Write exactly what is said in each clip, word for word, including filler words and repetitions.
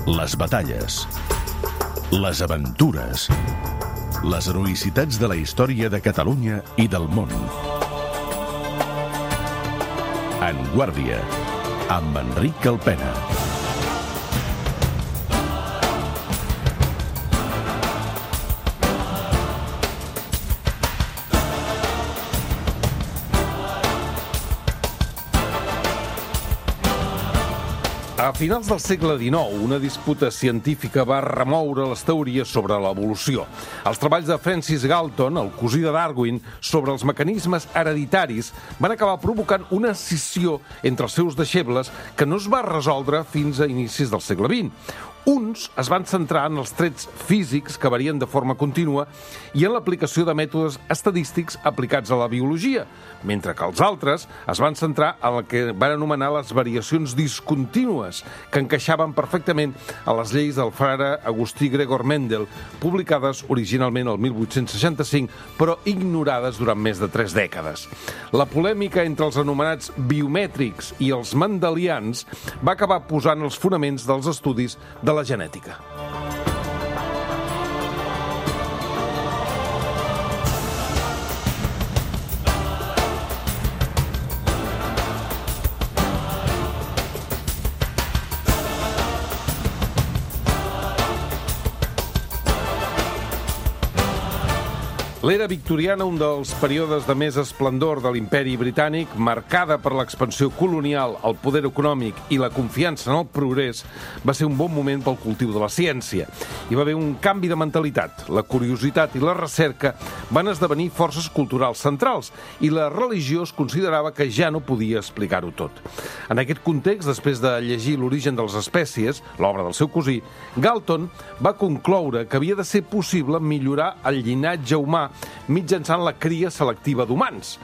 les batalles, les aventures, les heroïcitats de la història de Catalunya i del món. En Guàrdia, amb Enric Calpena. A finals del segle dinou, una disputa científica va remoure les teories sobre l'evolució. Els treballs de Francis Galton, el cosí de Darwin, sobre els mecanismes hereditaris van acabar provocant una escissió entre els seus deixebles que no es va resoldre fins a inicis del segle vint. Uns es van centrar en els trets físics que varien de forma contínua i en l'aplicació de mètodes estadístics aplicats a la biologia, mentre que els altres es van centrar en el que van anomenar les variacions discontínues, que encaixaven perfectament a les lleis del frare Agustí Gregor Mendel, publicades originalment el mil vuit-cents seixanta-cinc, però ignorades durant més de tres dècades. La polèmica entre els anomenats biomètrics i els mendelians va acabar posant els fonaments dels estudis de la genètica. L'era victoriana, un dels períodes de més esplendor de l'imperi britànic, marcada per l'expansió colonial, el poder econòmic i la confiança en el progrés, va ser un bon moment pel cultiu de la ciència. Hi va haver un canvi de mentalitat. La curiositat i la recerca van esdevenir forces culturals centrals i la religió es considerava que ja no podia explicar-ho tot. En aquest context, després de llegir L'origen de les espècies, l'obra del seu cosí, Galton va concloure que havia de ser possible millorar el llinatge humà mitjançant la cria selectiva d'humans.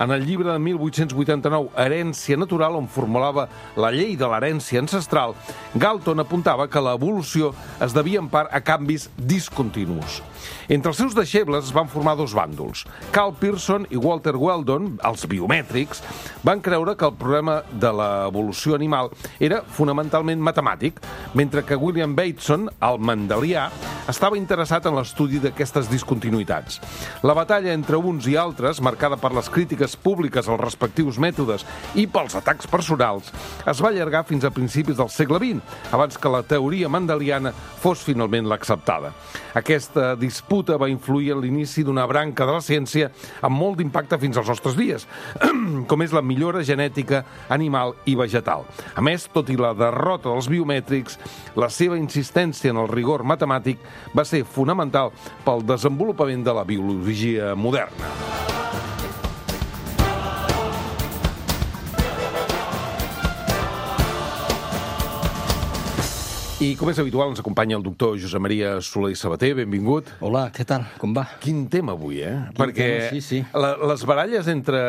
En el llibre de mil vuit-cents vuitanta-nou, Herència natural, on formulava la llei de l'herència ancestral, Galton apuntava que l'evolució es devia en part a canvis discontinus. Entre els seus deixebles es van formar dos bàndols. Carl Pearson i Walter Weldon, els biomètrics, van creure que el problema de l'evolució animal era fonamentalment matemàtic, mentre que William Bateson, el mendelià, estava interessat en l'estudi d'aquestes discontinuïtats. La batalla entre uns i altres, marcada per les crítiques públiques als respectius mètodes i pels atacs personals, es va allargar fins a principis del segle vint, abans que la teoria mendeliana fos finalment l'acceptada. Aquesta disputa va influir en l'inici d'una branca de la ciència amb molt d'impacte fins als nostres dies, com és la millora genètica animal i vegetal. A més, tot i la derrota dels biomètrics, la seva insistència en el rigor matemàtic va ser fonamental pel desenvolupament de la biologia moderna. I, com és habitual, ens acompanya el doctor Josep Maria Soler i Sabater. Benvingut. Hola, què tal? Com va? Quin tema avui, eh? Quin Perquè tema, sí, sí. La, les baralles entre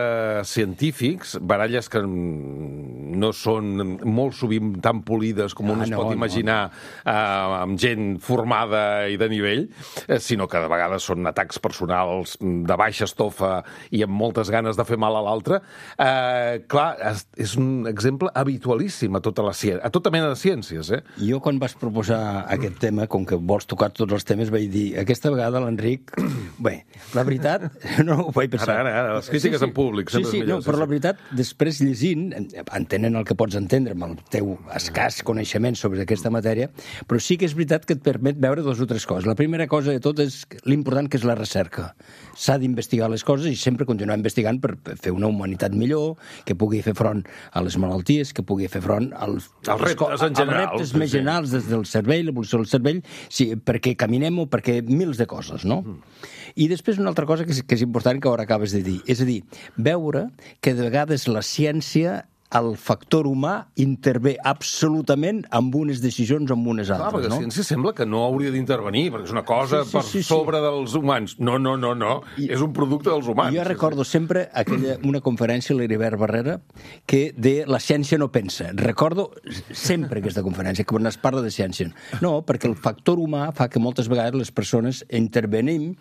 científics, baralles que no són molt sovint tan polides com Ah, un es no, pot no, imaginar eh, amb gent formada i de nivell, eh, sinó que de vegades són atacs personals de baixa estofa i amb moltes ganes de fer mal a l'altre. Eh, clar, és, és un exemple habitualíssim a tota, la, a tota mena de ciències, eh? Jo, quan vas proposar aquest tema, com que vols tocar tots els temes, vaig dir, aquesta vegada l'Enric... Bé, la veritat, no ho vaig pensar. Ara, ara, ara, les crítiques sí, sí. en públic sempre sí, sí, és millor. No, però sí, la veritat, després llegint, entenent el que pots entendre amb el teu escàs coneixement sobre aquesta matèria, però sí que és veritat que et permet veure dues o tres coses. La primera cosa de tot és l'important que és la recerca. S'ha d'investigar les coses i sempre continuar investigant per fer una humanitat millor, que pugui fer front a les malalties, que pugui fer front als, als reptes en general. Als reptes més generals des del cervell, l'evolució del cervell, sí, perquè caminem o perquè mils de coses, no? Mm. I després una altra cosa que és, que és important que ara acabes de dir, és a dir, veure que de vegades la ciència, el factor humà, intervé absolutament amb unes decisions o amb unes altres, Clar, perquè no? la ciència sembla que no hauria d'intervenir, perquè és una cosa Sí, sí, per sí, sí. sobre dels humans. No, no, no, no. I- És un producte dels humans. Jo recordo sempre aquella, una conferència a l'Heribert Barrera que de la ciència no pensa. Recordo sempre aquesta conferència, quan es parla de ciència. No, perquè el factor humà fa que moltes vegades les persones intervenim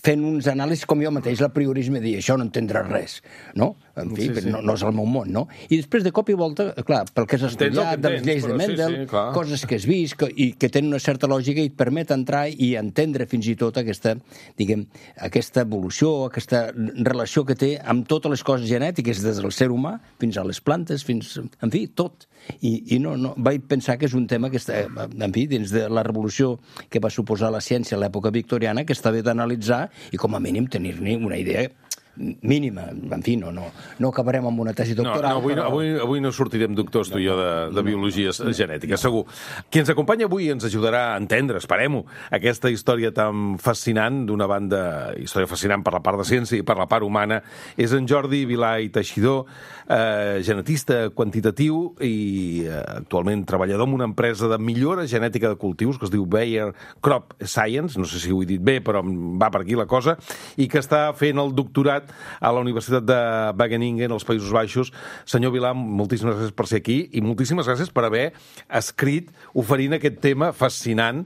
fent uns anàlisis com jo mateix, l'apriorisme de dir això no entendrà res, no? En fi, sí, sí. No, no és el meu món, no? I després, de cop i volta, clar, pel que has estudiat, de les lleis de Mendel, sí, sí, coses que has vist que, i que tenen una certa lògica i et permet entrar i entendre fins i tot aquesta, diguem, aquesta evolució, aquesta relació que té amb totes les coses genètiques, des del ser humà fins a les plantes, fins, en fi, tot. I, i no, no, vaig pensar que és un tema que està, en fi, dins de la revolució que va suposar la ciència a l'època victoriana, que està bé d'analitzar i com a mínim tenir-ne una idea mínima. En fi, no, no, no acabarem amb una tesi doctoral. No, no, avui, però... avui, avui no sortirem doctors, tu i jo, de, de biologia genètica, segur. Qui ens acompanya avui ens ajudarà a entendre, esperem-ho, aquesta història tan fascinant, d'una banda, història fascinant per la part de ciència i per la part humana, és en Jordi Vilà i Teixidor, eh, genetista quantitatiu i eh, actualment treballador en una empresa de millora genètica de cultius que es diu Bayer Crop Science, no sé si ho he dit bé, però va per aquí la cosa, i que està fent el doctorat a la Universitat de Wageningen, als Països Baixos. Senyor Vilà, moltíssimes gràcies per ser aquí i moltíssimes gràcies per haver escrit oferint aquest tema fascinant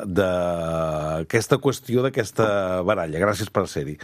d'aquesta qüestió, d'aquesta baralla. Gràcies per ser-hi.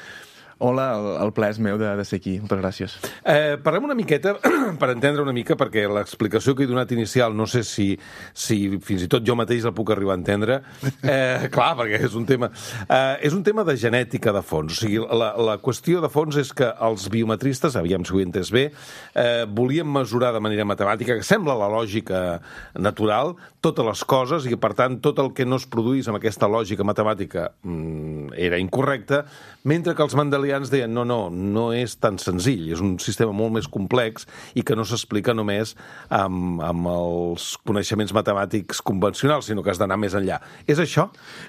Hola, el, el plaer és meu de, de ser aquí. Moltes gràcies. Eh, parlem una miqueta, per entendre una mica, perquè l'explicació que he donat inicial no sé si, si fins i tot jo mateix la puc arribar a entendre. Eh, clar, perquè és un tema... Eh, és un tema de genètica de fons. O sigui, la, la qüestió de fons és que els biometristes, aviam si ho he entès bé, eh, volien mesurar de manera matemàtica, que sembla la lògica natural, totes les coses, i que, per tant, tot el que no es produís amb aquesta lògica matemàtica mm, era incorrecte, mentre que els mandelians deien no, no, no és tan senzill, és un sistema molt més complex i que no s'explica només amb, amb els coneixements matemàtics convencionals, sinó que has d'anar més enllà. És això?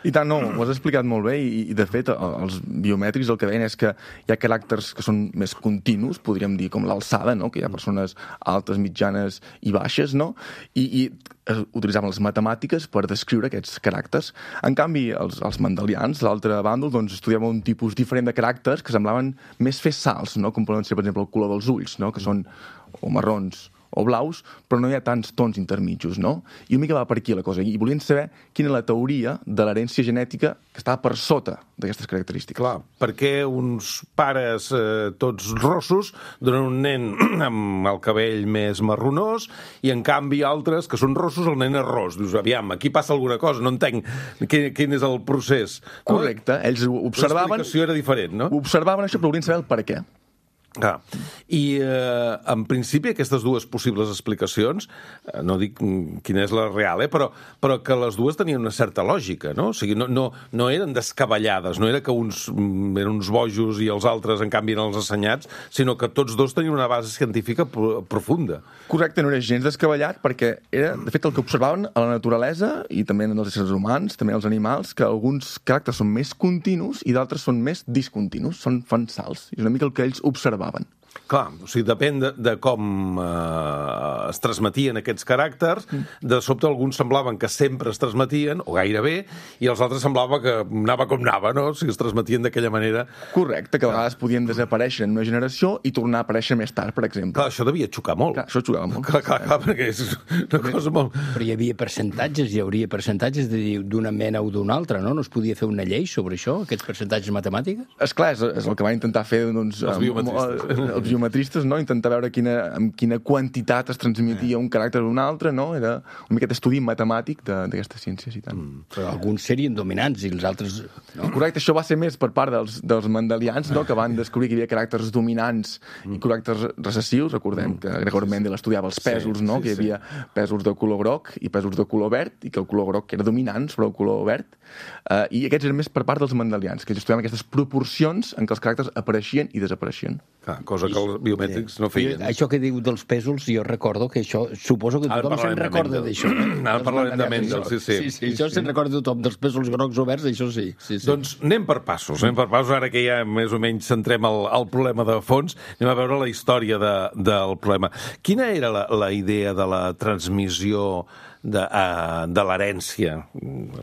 I tant, no, ho has explicat molt bé i, i de fet, els biomètrics el que deien és que hi ha caràcters que són més continus, podríem dir, com l'alçada, no? Que hi ha persones altes, mitjanes i baixes, no? I, i utilitzaven les matemàtiques per descriure aquests caràcters. En canvi, els, els mandelians, l'altre bàndol, doncs, estudiaven un tipus diferent de caràcters que semblaven més fer salts, no? Com poden ser, per exemple, el color dels ulls, no? Que són o marrons o blaus, però no hi ha tants tons intermitjos, no? I una mica va per aquí la cosa. I volien saber quina és la teoria de l'herència genètica que estava per sota d'aquestes característiques. Clar, perquè uns pares eh, tots rossos donen un nen amb el cabell més marronós i, en canvi, altres que són rossos, el nen és ros. Dius, aviam, aquí passa alguna cosa, no entenc quin, quin és el procés. Correcte, ells ho observaven... L'explicació era diferent, no? Observaven això, però volien saber el per què. Ah. I, eh, en principi, aquestes dues possibles explicacions, eh, no dic quina és la real, eh, però, però que les dues tenien una certa lògica, no? O sigui, no, no, no eren descabellades, no era que uns eren uns bojos i els altres, en canvi, eren els assenyats, sinó que tots dos tenien una base científica profunda. Correcte, no era gens descabellat, perquè era, de fet, el que observaven a la naturalesa, i també en els éssers humans, també en els animals, que alguns caràcters són més continus i d'altres són més discontinus, són fan salts. És una mica el que ells observaven. Clar, o sigui, depèn de, de com eh, es transmetien aquests caràcters. De sobte alguns semblaven que sempre es transmetien, o gairebé, i els altres semblava que anava com anava, no? O sigui, es transmetien d'aquella manera. Correcte, que a vegades podien desaparèixer en una generació i tornar a aparèixer més tard, per exemple. Clar, això devia xocar molt. Clar, això xocava molt. Clar, clar, clar, perquè és una cosa molt... Però hi havia percentatges, hi hauria percentatges d'una mena o d'una altra, no? No es podia fer una llei sobre això, aquests percentatges matemàtiques? Esclar, és, és el que van intentar fer, doncs... Els biometristes. Els biometristes, no? Intentar veure quina, amb quina quantitat es transmetia un caràcter o un altre, no? Era un miquet estudi matemàtic d'aquestes ciències i tant. Mm. Però alguns serien dominants i els altres... No? Correcte, això va ser més per part dels, dels mandelians, no? Que van descobrir que hi havia caràcters dominants mm. i caràcters recessius. Recordem mm. que Gregor Mendel estudiava els pèsols, sí, no? Sí, que hi havia sí. pèsols de color groc i pèsols de color verd, i que el color groc era dominant sobre el color verd. Uh, I aquests eren més per part dels mandelians, que estudiaven aquestes proporcions en què els caràcters apareixien i desapareixien. Clar, cosa que els biomètrics no feien. I això que diu dels pèsols, jo recordo que això, suposo que tothom se'n recorda d'això. Ara parlarem de Mendel, sí, sí. Sí, sí, això se'n recorda tothom, dels pèsols grocs o verds, això sí. sí, sí. Doncs anem per passos, anem per passos, ara que ja més o menys centrem el, el problema de fons, anem a veure la història de, del problema. Quina era la, la idea de la transmissió de, uh, de l'herència,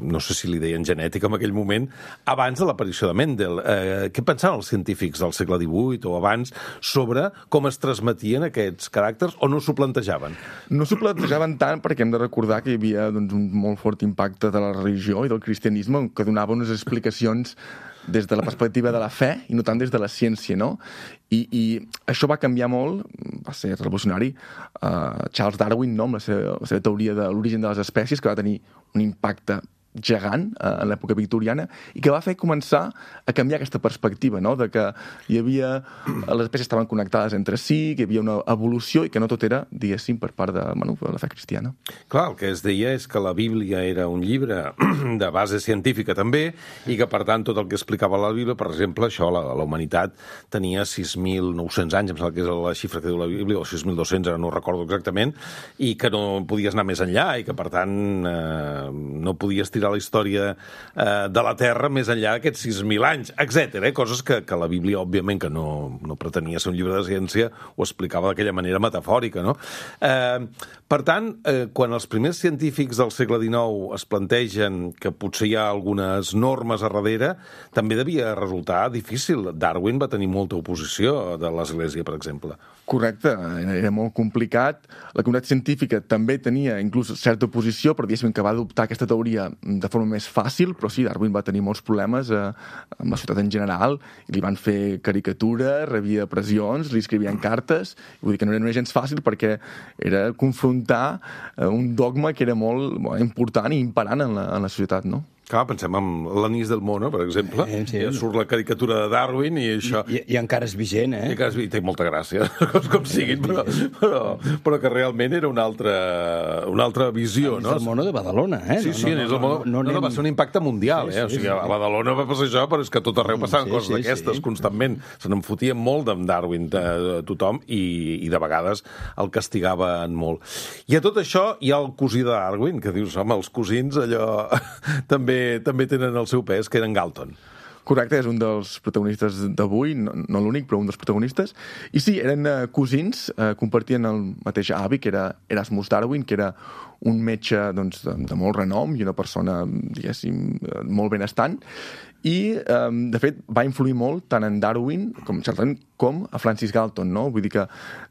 no sé si li deien genètica en aquell moment, abans de l'aparició de Mendel. Uh, què pensaven els científics del segle divuit o abans sobre com es transmetien aquests caràcters o no s'ho plantejaven? No s'ho plantejaven tant perquè hem de recordar que hi havia doncs, un molt fort impacte de la religió i del cristianisme que donava unes explicacions des de la perspectiva de la fe i no tant des de la ciència, no? I, i això va canviar molt, va ser revolucionari. Uh, Charles Darwin, no?, amb la seva, la seva teoria de l'origen de les espècies, que va tenir un impacte gegant eh, en l'època victoriana i que va fer començar a canviar aquesta perspectiva, no?, de que hi havia... les espècies estaven connectades entre si, que hi havia una evolució i que no tot era, diguéssim, per part de, bueno, de la fe cristiana. Clar, el que es deia és que la Bíblia era un llibre de base científica també i que, per tant, tot el que explicava la Bíblia, per exemple, això, la, la humanitat tenia sis mil nou-cents anys, em sembla que és la xifra que diu la Bíblia, o sis mil dos-cents, ara no ho recordo exactament, i que no podies anar més enllà i que, per tant, eh, no podies tirar la història eh, de la Terra més enllà d'aquests sis mil anys, etcètera. Eh? Coses que, que la Bíblia, òbviament, que no, no pretenia ser un llibre de ciència, ho explicava d'aquella manera metafòrica, no? Eh, per tant, eh, quan els primers científics del segle dinou es plantegen que potser hi ha algunes normes a darrere, també devia resultar difícil. Darwin va tenir molta oposició de l'Església, per exemple. Correcte, era, era molt complicat. La comunitat científica també tenia inclús certa oposició, però diguéssim que va adoptar aquesta teoria de forma més fàcil, però sí, Darwin va tenir molts problemes eh, amb la societat en general, i li van fer caricatures, rebia pressions, li escrivien cartes, vull dir que no era gens fàcil perquè era confrontar eh, un dogma que era molt bueno, important i imperant en la, en la societat, no? Clar, pensem en l'Anís del Mono, per exemple. Eh, sí, ja surt la caricatura de Darwin i això... I, i, i encara és vigent, eh? I encara és vigent, té molta gràcia, com, com siguin, però, però, però que realment era una altra, una altra visió, Anís no? del Mono de Badalona, eh? Sí, sí, Anís del Mono... No, no, no, no, va ser un impacte mundial, sí, sí, eh? O sigui, a Badalona va passar això, però és que a tot arreu passaven sí, coses sí, d'aquestes, sí. Constantment. Se n'enfotien molt d'en Darwin, de, de tothom, i, i de vegades el castigaven molt. I a tot això hi ha el cosí de Darwin, que dius, home, els cosins, allò... també, també tenen el seu pes, que eren Galton. Correcte, és un dels protagonistes d'avui, no, no l'únic, però un dels protagonistes. I sí, eren uh, cosins, uh, compartien el mateix avi, que era Erasmus Darwin, que era un metge doncs, de, de molt renom i una persona, diguéssim, molt benestant. I, um, de fet, va influir molt tant en Darwin com, certament, com a Francis Galton, no? Vull dir que,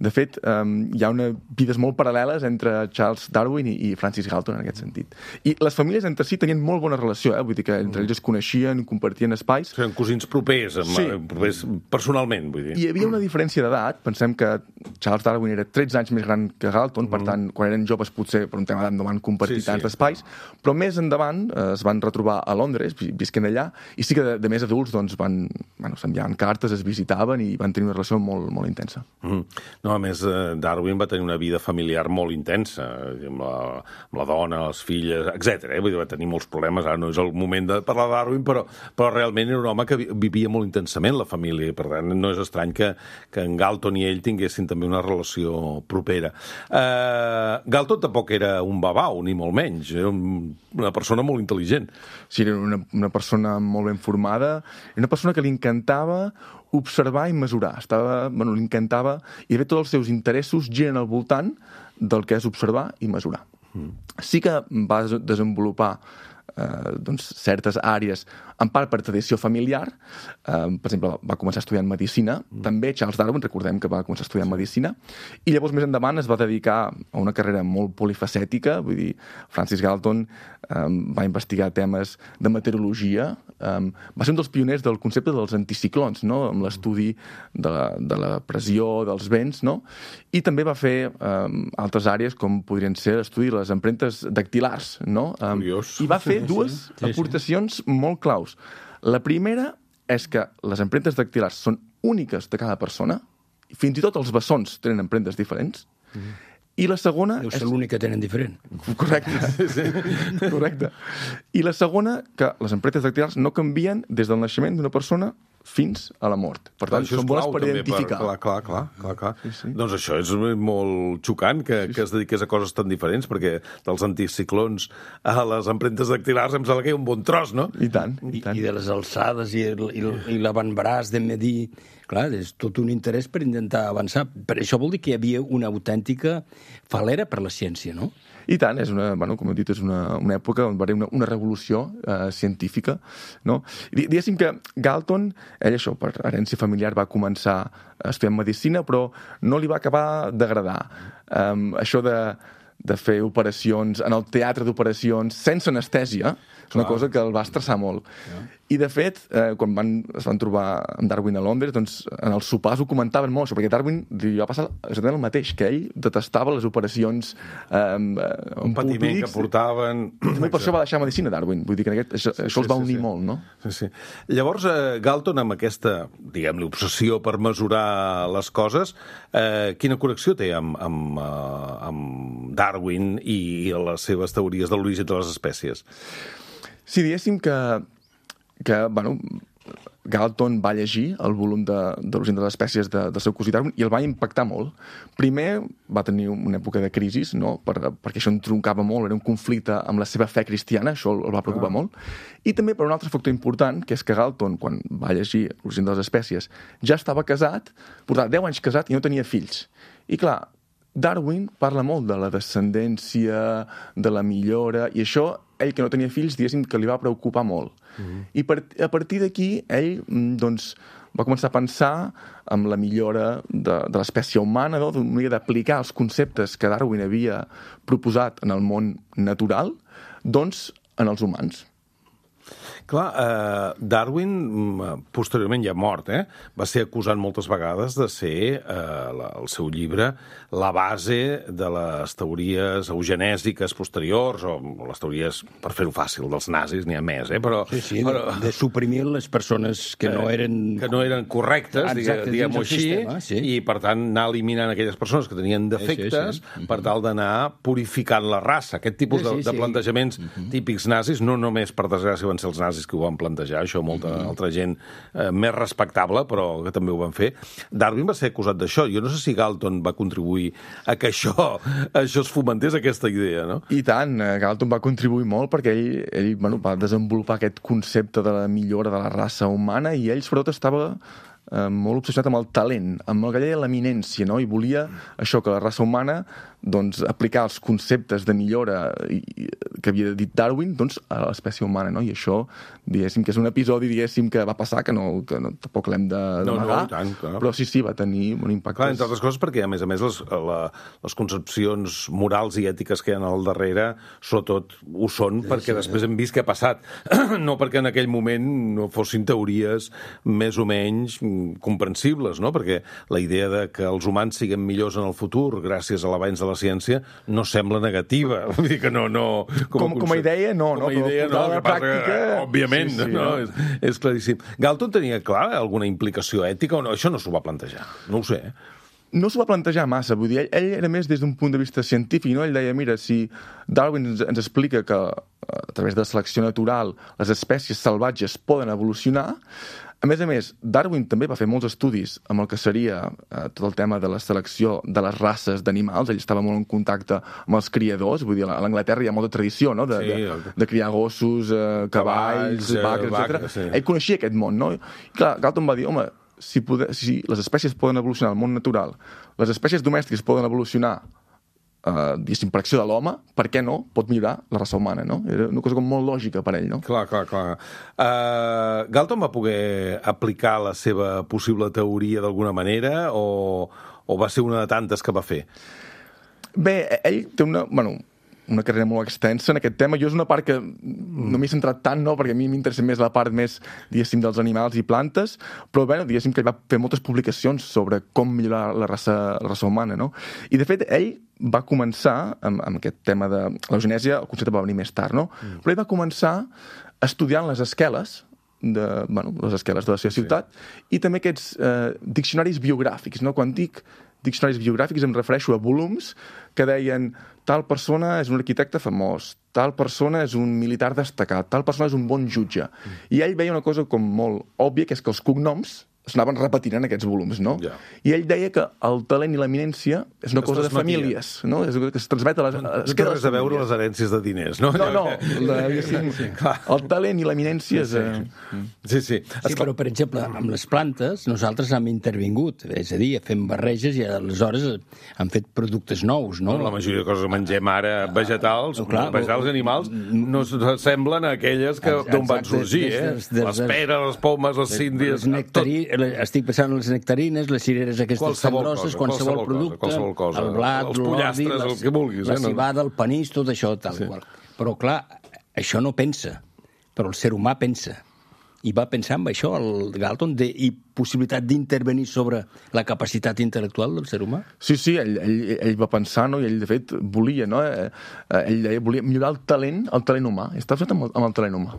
de fet, um, hi ha una vides molt paral·leles entre Charles Darwin i, i Francis Galton, en aquest sentit. I les famílies entre si tenien molt bona relació, eh? Vull dir que entre ells es coneixien, compartien espais. Eren cosins propers, amb, sí. propers personalment, vull dir. Hi havia una diferència d'edat. Pensem que Charles Darwin era tretze anys més gran que Galton, mm. per tant, quan eren joves, potser per un tema d'edat no van compartir sí, tants sí. espais, però més endavant eh, es van retrobar a Londres, visquen allà, i sí que de, de més adults doncs, van, bueno, s'enviaven cartes, es visitaven i van tenir una relació molt, molt intensa. Mm. No, a més, Darwin va tenir una vida familiar molt intensa, amb la, amb la dona, les filles, etcètera. Eh? Vull dir, va tenir molts problemes, ara no és el moment de parlar de Darwin, però, però realment era un home que vivia molt intensament la família, i per tant no és estrany que, que en Galton i ell tinguessin també una relació propera. Uh, Galton tampoc era un babau, ni molt menys, era un, una persona molt intel·ligent. Sí, era una, una persona molt ben formada, una persona que li encantava observar i mesurar. Estava, bueno, li encantava, i de fet tots els seus interessos giren al voltant del que és observar i mesurar. Mm. Sí que va desenvolupar eh, doncs, certes àrees, en part per tradició familiar. Eh, per exemple, va començar estudiant medicina. Mm. També Charles Darwin, recordem que va començar estudiant medicina. I llavors, més endavant, es va dedicar a una carrera molt polifacètica. Vull dir, Francis Galton eh, va investigar temes de meteorologia. Eh, va ser un dels pioners del concepte dels anticiclons, no?, amb l'estudi de la, de la pressió, dels vents, no? I també va fer eh, altres àrees, com podrien ser l'estudi de les empremtes dactilars, no? Eh, Curiós. I va fer dues sí, sí. aportacions sí, sí. molt claus. La primera és que les empremtes dactilars són úniques de cada persona, fins i tot els bessons tenen empremtes diferents, mm. i la segona... Deu ser és... l'únic que tenen diferent. Correcte. Sí, sí. Correcte. I la segona, que les empremtes dactilars no canvien des del naixement d'una persona fins a la mort. Per tant, clar, són bones per també identificar. Per, clar, clar, clar, clar, clar. Sí, sí. Doncs això és molt xocant que, sí, sí. que es dediqués a coses tan diferents, perquè dels anticiclons a les empremtes dactilars em sembla que hi ha un bon tros, no? I tant, i, I, tant. i de les alçades i, el, i, i l'avantbraç de medir... Clar, és tot un interès per intentar avançar. Per això vol dir que hi havia una autèntica falera per la ciència, no? I tant, és una, bueno, com he dit, és una, una època on va haver una, una revolució eh, científica, no? I diguéssim que Galton, ell això, per herència familiar, va començar estudiant medicina, però no li va acabar d'agradar. Um, això de, de fer operacions en el teatre d'operacions sense anestèsia, és una cosa que el va estressar molt. Ja. I, de fet, eh, quan van, es van trobar amb Darwin a Londres, doncs en els sopars ho comentaven molt, això, perquè Darwin li va passar exactament el mateix, que ell detestava les operacions eh, un patiment que portaven... També per això va deixar medicina, Darwin. Vull dir que aquest, això, sí, això els va sí, unir sí. molt, no? Sí, sí. Llavors, eh, Galton, amb aquesta, diguem-ne, obsessió per mesurar les coses, eh, quina connexió té amb, amb, eh, amb Darwin i, i les seves teories de l'origen de les espècies? Sí, diguéssim que, que bueno, Galton va llegir el volum de, de l'origen de les espècies de, del seu cosí Darwin i el va impactar molt. Primer va tenir una època de crisi, no? per, perquè això entroncava molt, era un conflicte amb la seva fe cristiana, això el va preocupar ah. molt. I també per un altre factor important, que és que Galton, quan va llegir l'origen de les espècies, ja estava casat, portava deu anys casat i no tenia fills. I clar, Darwin parla molt de la descendència, de la millora, i això, ell que no tenia fills, diguéssim que li va preocupar molt. Mm-hmm. I per, a partir d'aquí, ell doncs, va començar a pensar en la millora de, de l'espècie humana, no? D'una manera d'aplicar els conceptes que Darwin havia proposat en el món natural, doncs, en els humans. Clar, eh, Darwin, posteriorment ja mort, eh, va ser acusat moltes vegades de ser, eh, la, el seu llibre, la base de les teories eugenèsiques posteriors, o les teories, per fer-ho fàcil, dels nazis, n'hi ha més, eh, però... Sí, sí, però, de, de suprimir les persones que no eren... Que no eren correctes, exacte, diguem-ho així, sistema, sí. I per tant anar eliminant aquelles persones que tenien defectes sí, sí, sí. per tal d'anar purificant la raça. Aquest tipus sí, sí, de, de plantejaments sí. típics nazis, no només per desgràcia van ser els nazis que ho van plantejar, això molta mm-hmm. altra gent eh, més respectable, però que també ho van fer. Darwin va ser acusat d'això. Jo no sé si Galton va contribuir a que això, això es fomentés, aquesta idea, no? I tant, Galton va contribuir molt perquè ell, ell bueno, va desenvolupar aquest concepte de la millora de la raça humana i ell, sobretot, estava eh, molt obsessionat amb el talent, amb el que deia l'eminència, no? I volia això, que la raça humana doncs, aplicar els conceptes de millora i, i, que havia dit Darwin doncs, a l'espècie humana, no? I això, diguéssim, que és un episodi, diguéssim, que va passar, que, no, que no, tampoc l'hem de, no, d'amagar, no, tant, clar. Però sí, sí, va tenir un impacte. Clar, entre altres coses, perquè, a més a més, les, la, les concepcions morals i ètiques que hi ha al darrere, sobretot, ho són, sí, perquè sí, després hem vist què ha passat. No perquè en aquell moment no fossin teories més o menys comprensibles, no? Perquè la idea de que els humans siguin millors en el futur gràcies a l'avanç de la ciència no sembla negativa. Vull dir que no... no com, com, com a idea, no. Com a no, idea, no. La pràctica... Que, òbviament, sí, sí, no? no? És, és claríssim. Galton tenia, clar, alguna implicació ètica o no? Això no s'ho va plantejar. No ho sé, eh? No s'ho va plantejar massa, vull dir, ell, ell era més des d'un punt de vista científic, no? Ell deia, mira, si Darwin ens, ens explica que a través de la selecció natural les espècies salvatges poden evolucionar, a més a més, Darwin també va fer molts estudis amb el que seria eh, tot el tema de la selecció de les races d'animals. Ell estava molt en contacte amb els criadors, vull dir, a l'Anglaterra hi ha molta tradició, no?, de, sí, de, de criar gossos, eh, cavalls, cavalls vaques, etcètera. Sí. Ell coneixia aquest món, no? I clar, Galton va dir, home, si, poder, si les espècies poden evolucionar al món natural, les espècies domèstiques poden evolucionar Uh, diguéssim, per acció de l'home, per què no pot millorar la raça humana, no? Era una cosa com molt lògica per ell, no? Clar, clar, clar. Uh, Galton va poder aplicar la seva possible teoria d'alguna manera o, o va ser una de tantes que va fer? Bé, ell té una... Bueno, una carrera molt extensa en aquest tema. Jo és una part que no m'he centrat tant, no?, perquè a mi m'interessa més la part més, diguéssim, dels animals i plantes, però bé, diguéssim que ell va fer moltes publicacions sobre com millorar la raça, la raça humana, no? I, de fet, ell va començar amb, amb aquest tema de l'eugenèsia, el concepte va venir més tard, no? Mm. Però ell va començar estudiant les esqueles, de, bueno, les esqueles de la seva ciutat, sí. I també aquests eh, diccionaris biogràfics, no? Quan dic diccionaris biogràfics em refereixo a volums que deien tal persona és un arquitecte famós, tal persona és un militar destacat, tal persona és un bon jutge. I ell veia una cosa com molt òbvia, que és que els cognoms s'anaven repetint en aquests volums, no? Ja. I ell deia que el talent i l'eminència és una Es cosa de transmetia. famílies, no? És una cosa que es transmet a les... No es té queda a res a veure famílies. les herències de diners, no? No, no, la, sí, sí. El talent i l'eminència és... Eh... Sí, sí. Sí, però, per exemple, amb les plantes nosaltres hem intervingut, és a dir, fem barreges i aleshores han fet productes nous, no? La majoria de coses que mengem ara, vegetals, No, clar, vegetals i animals, no s'assemblen a aquelles que Exacte, d'on van sorgir, des- eh? des- des- Les peres, les pomes, les síndries... Les nectari... Estic pensant en les nectarines, les cireres aquestes Qualsevol tan grosses, cosa, qualsevol, qualsevol cosa, producte, qualsevol cosa. el blat, Els l'ordi, pollastres, les- el que vulguis, la eh, no? cibada, el panís, tot això, tal Sí. qual. Però, clar, això no pensa, però el ser humà pensa. I va pensar en això, el Galton, de, i possibilitat d'intervenir sobre la capacitat intel·lectual del ser humà? Sí, sí, ell, ell, ell va pensar, no? I ell, de fet, volia, no? Eh, eh, ell deia, volia millorar el talent, el talent humà. I està fet amb el, amb el talent humà.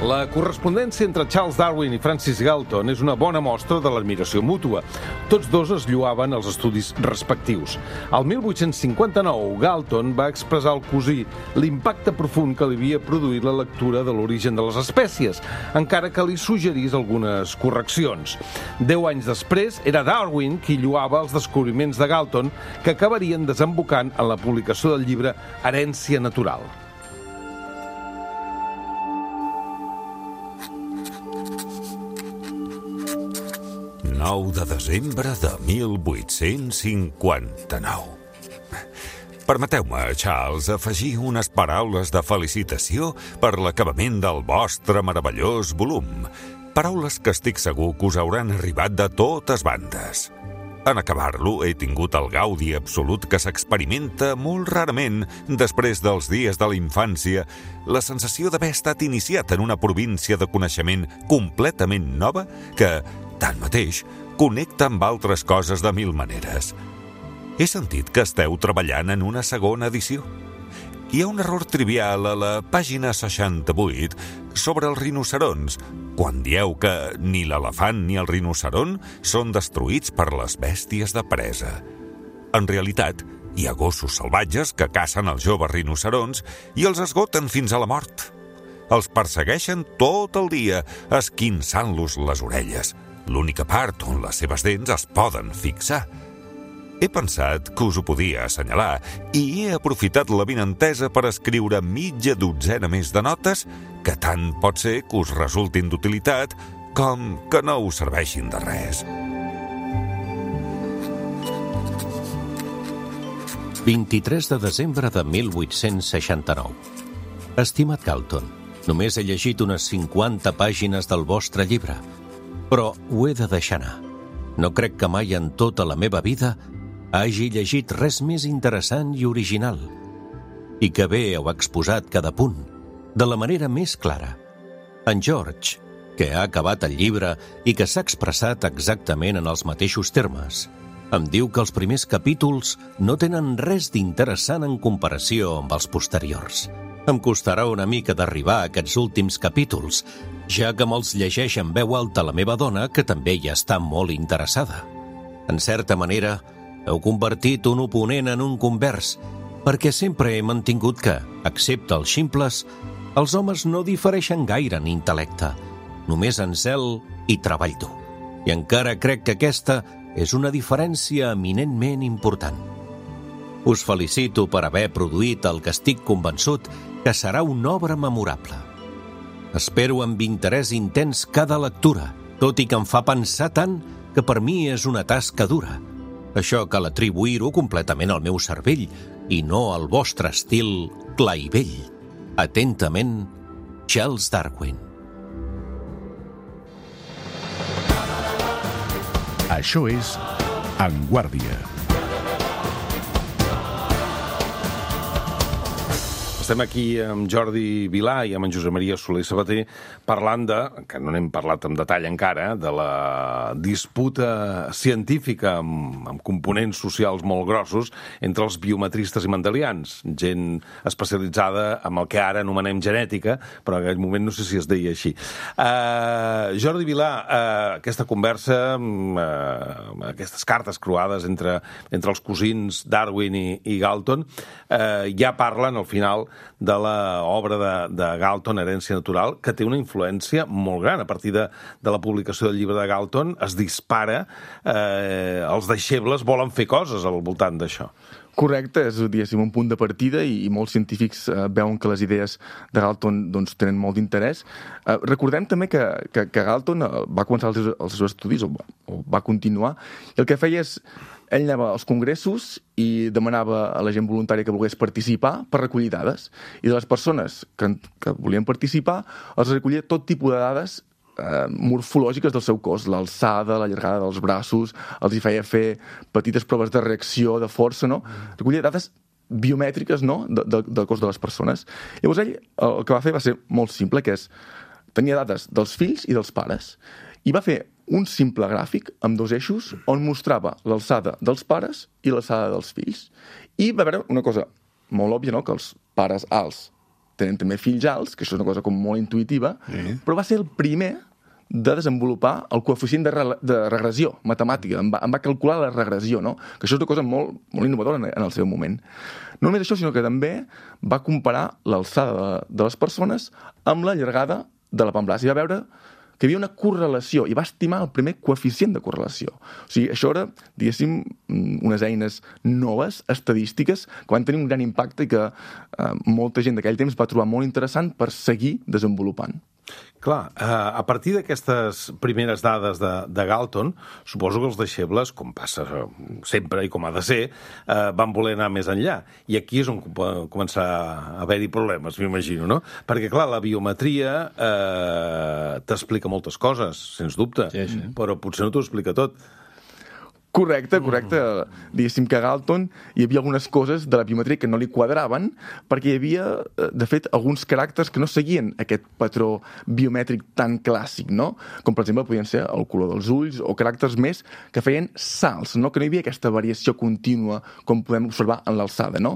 La correspondència entre Charles Darwin i Francis Galton és una bona mostra de l'admiració mútua. Tots dos es lloaven els estudis respectius. Al mil vuit-cents cinquanta-nou, Galton va expressar al cosí l'impacte profund que li havia produït la lectura de l'origen de les espècies, encara que li suggerís algunes correccions. Deu anys després, era Darwin qui lloava els descobriments de Galton, que acabarien desembocant en la publicació del llibre Herència natural. nou de desembre de mil vuit-cents cinquanta-nou. Permeteu-me, Charles, afegir unes paraules de felicitació per l'acabament del vostre meravellós volum. Paraules que estic segur que us hauran arribat de totes bandes. En acabar-lo he tingut el gaudi absolut que s'experimenta molt rarament després dels dies de la infància, la sensació d'haver estat iniciat en una província de coneixement completament nova que, tanmateix, connecta amb altres coses de mil maneres. He sentit que esteu treballant en una segona edició. Hi ha un error trivial a la pàgina seixanta-vuit sobre els rinocerons, quan dieu que ni l'elefant ni el rinoceron són destruïts per les bèsties de presa. En realitat, hi ha gossos salvatges que cacen els joves rinocerons i els esgoten fins a la mort. Els persegueixen tot el dia, esquinçant-los les orelles, l'única part on les seves dents es poden fixar. He pensat que us ho podia assenyalar i he aprofitat la vinentesa per escriure mitja dotzena més de notes que tant pot ser que us resultin d'utilitat com que no us serveixin de res. vint-i-tres de desembre de mil vuit-cents seixanta-nou. Estimat Galton, només he llegit unes cinquanta pàgines del vostre llibre, però ho he de deixar anar. No crec que mai en tota la meva vida hagi llegit res més interessant i original, i que bé heu exposat cada punt, de la manera més clara. En George, que ha acabat el llibre i que s'ha expressat exactament en els mateixos termes, em diu que els primers capítols no tenen res d'interessant en comparació amb els posteriors. Em costarà una mica d'arribar a aquests últims capítols, ja que me'ls llegeix en veu alta la meva dona, que també hi està molt interessada. En certa manera, heu convertit un oponent en un convers, perquè sempre he mantingut que, excepte els ximples, els homes no difereixen gaire en intel·lecte, només en zel i treball dur. I encara crec que aquesta és una diferència eminentment important. Us felicito per haver produït el que estic convençut que serà una obra memorable. Espero amb interès intens cada lectura, tot i que em fa pensar tant que per mi és una tasca dura. Això cal atribuir-ho completament al meu cervell i no al vostre estil clar i vell. Atentament, Charles Darwin. Això és En Guàrdia. Estem aquí amb Jordi Vilà i amb en Josep Maria Soler Sabater parlant de, que no n'hem parlat en detall encara, de la disputa científica amb, amb components socials molt grossos entre els biometristes i mendelians, gent especialitzada en el que ara anomenem genètica, però en aquell moment no sé si es deia així. Uh, Jordi Vilà, uh, aquesta conversa, uh, aquestes cartes croades entre, entre els cosins Darwin i, i Galton, uh, ja parlen al final de l'obra de, de Galton, Herència natural, que té una influència molt gran. A partir de, de la publicació del llibre de Galton es dispara, eh, els deixebles volen fer coses al voltant d'això. Correcte, és diguéssim, un punt de partida i, i molts científics eh, veuen que les idees de Galton doncs, tenen molt d'interès. Eh, recordem també que, que, que Galton eh, va començar els seus, els seus estudis, o, o va continuar, i el que feia és ell anava als congressos i demanava a la gent voluntària que volgués participar per recollir dades. I de les persones que, que volien participar, els recollia tot tipus de dades eh, morfològiques del seu cos, l'alçada, la llargada dels braços, els hi feia fer petites proves de reacció, de força, no? Recollia dades biomètriques, no?, de, de, del cos de les persones. Llavors ell el que va fer va ser molt simple, que és tenia dades dels fills i dels pares, i va fer un simple gràfic amb dos eixos on mostrava l'alçada dels pares i l'alçada dels fills. I va veure una cosa molt òbvia, no?, que els pares alts tenen també fills alts, que això és una cosa com molt intuïtiva, sí. Però va ser el primer de desenvolupar el coeficient de, re de regressió matemàtica. Em va, em va calcular la regressió, no?, que això és una cosa molt, molt innovadora en, en el seu moment. No només això, sinó que també va comparar l'alçada de, de les persones amb la llargada de la pamblàs i va veure que hi havia una correlació, i va estimar el primer coeficient de correlació. O sigui, això era, diguéssim, unes eines noves, estadístiques, que van tenir un gran impacte i que eh, molta gent d'aquell temps va trobar molt interessant per seguir desenvolupant. Clar, eh, a partir d'aquestes primeres dades de, de Galton, suposo que els deixebles, com passa sempre i com ha de ser, eh, van voler anar més enllà. I aquí és on va començar a haver-hi problemes, m'imagino, no? Perquè, clar, la biometria eh, t'explica moltes coses, sens dubte, sí, sí. Però potser no t'ho explica tot. Correcte, correcte. Diguéssim que a Galton hi havia algunes coses de la biometria que no li quadraven perquè hi havia, de fet, alguns caràcters que no seguien aquest patró biomètric tan clàssic, no? Com, per exemple, podien ser el color dels ulls o caràcters més que feien salts, no? Que no hi havia aquesta variació contínua com podem observar en l'alçada, no?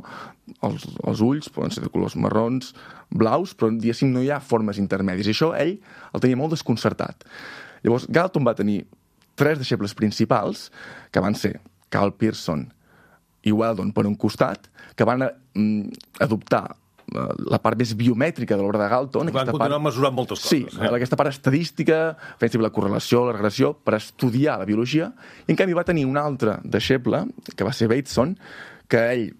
Els, els ulls poden ser de colors marrons, blaus, però, diguéssim, no hi ha formes intermèdies. I això ell el tenia molt desconcertat. Llavors, Galton va tenir tres deixebles principals, que van ser Carl Pearson i Weldon per un costat, que van mm, adoptar uh, la part més biomètrica de l'obra de Galton. Van continuar part... mesurant moltes coses. Sí, eh? aquesta part estadística, fent la correlació, la regressió, per estudiar la biologia, i en canvi va tenir un altre deixeble, que va ser Bateson, que ell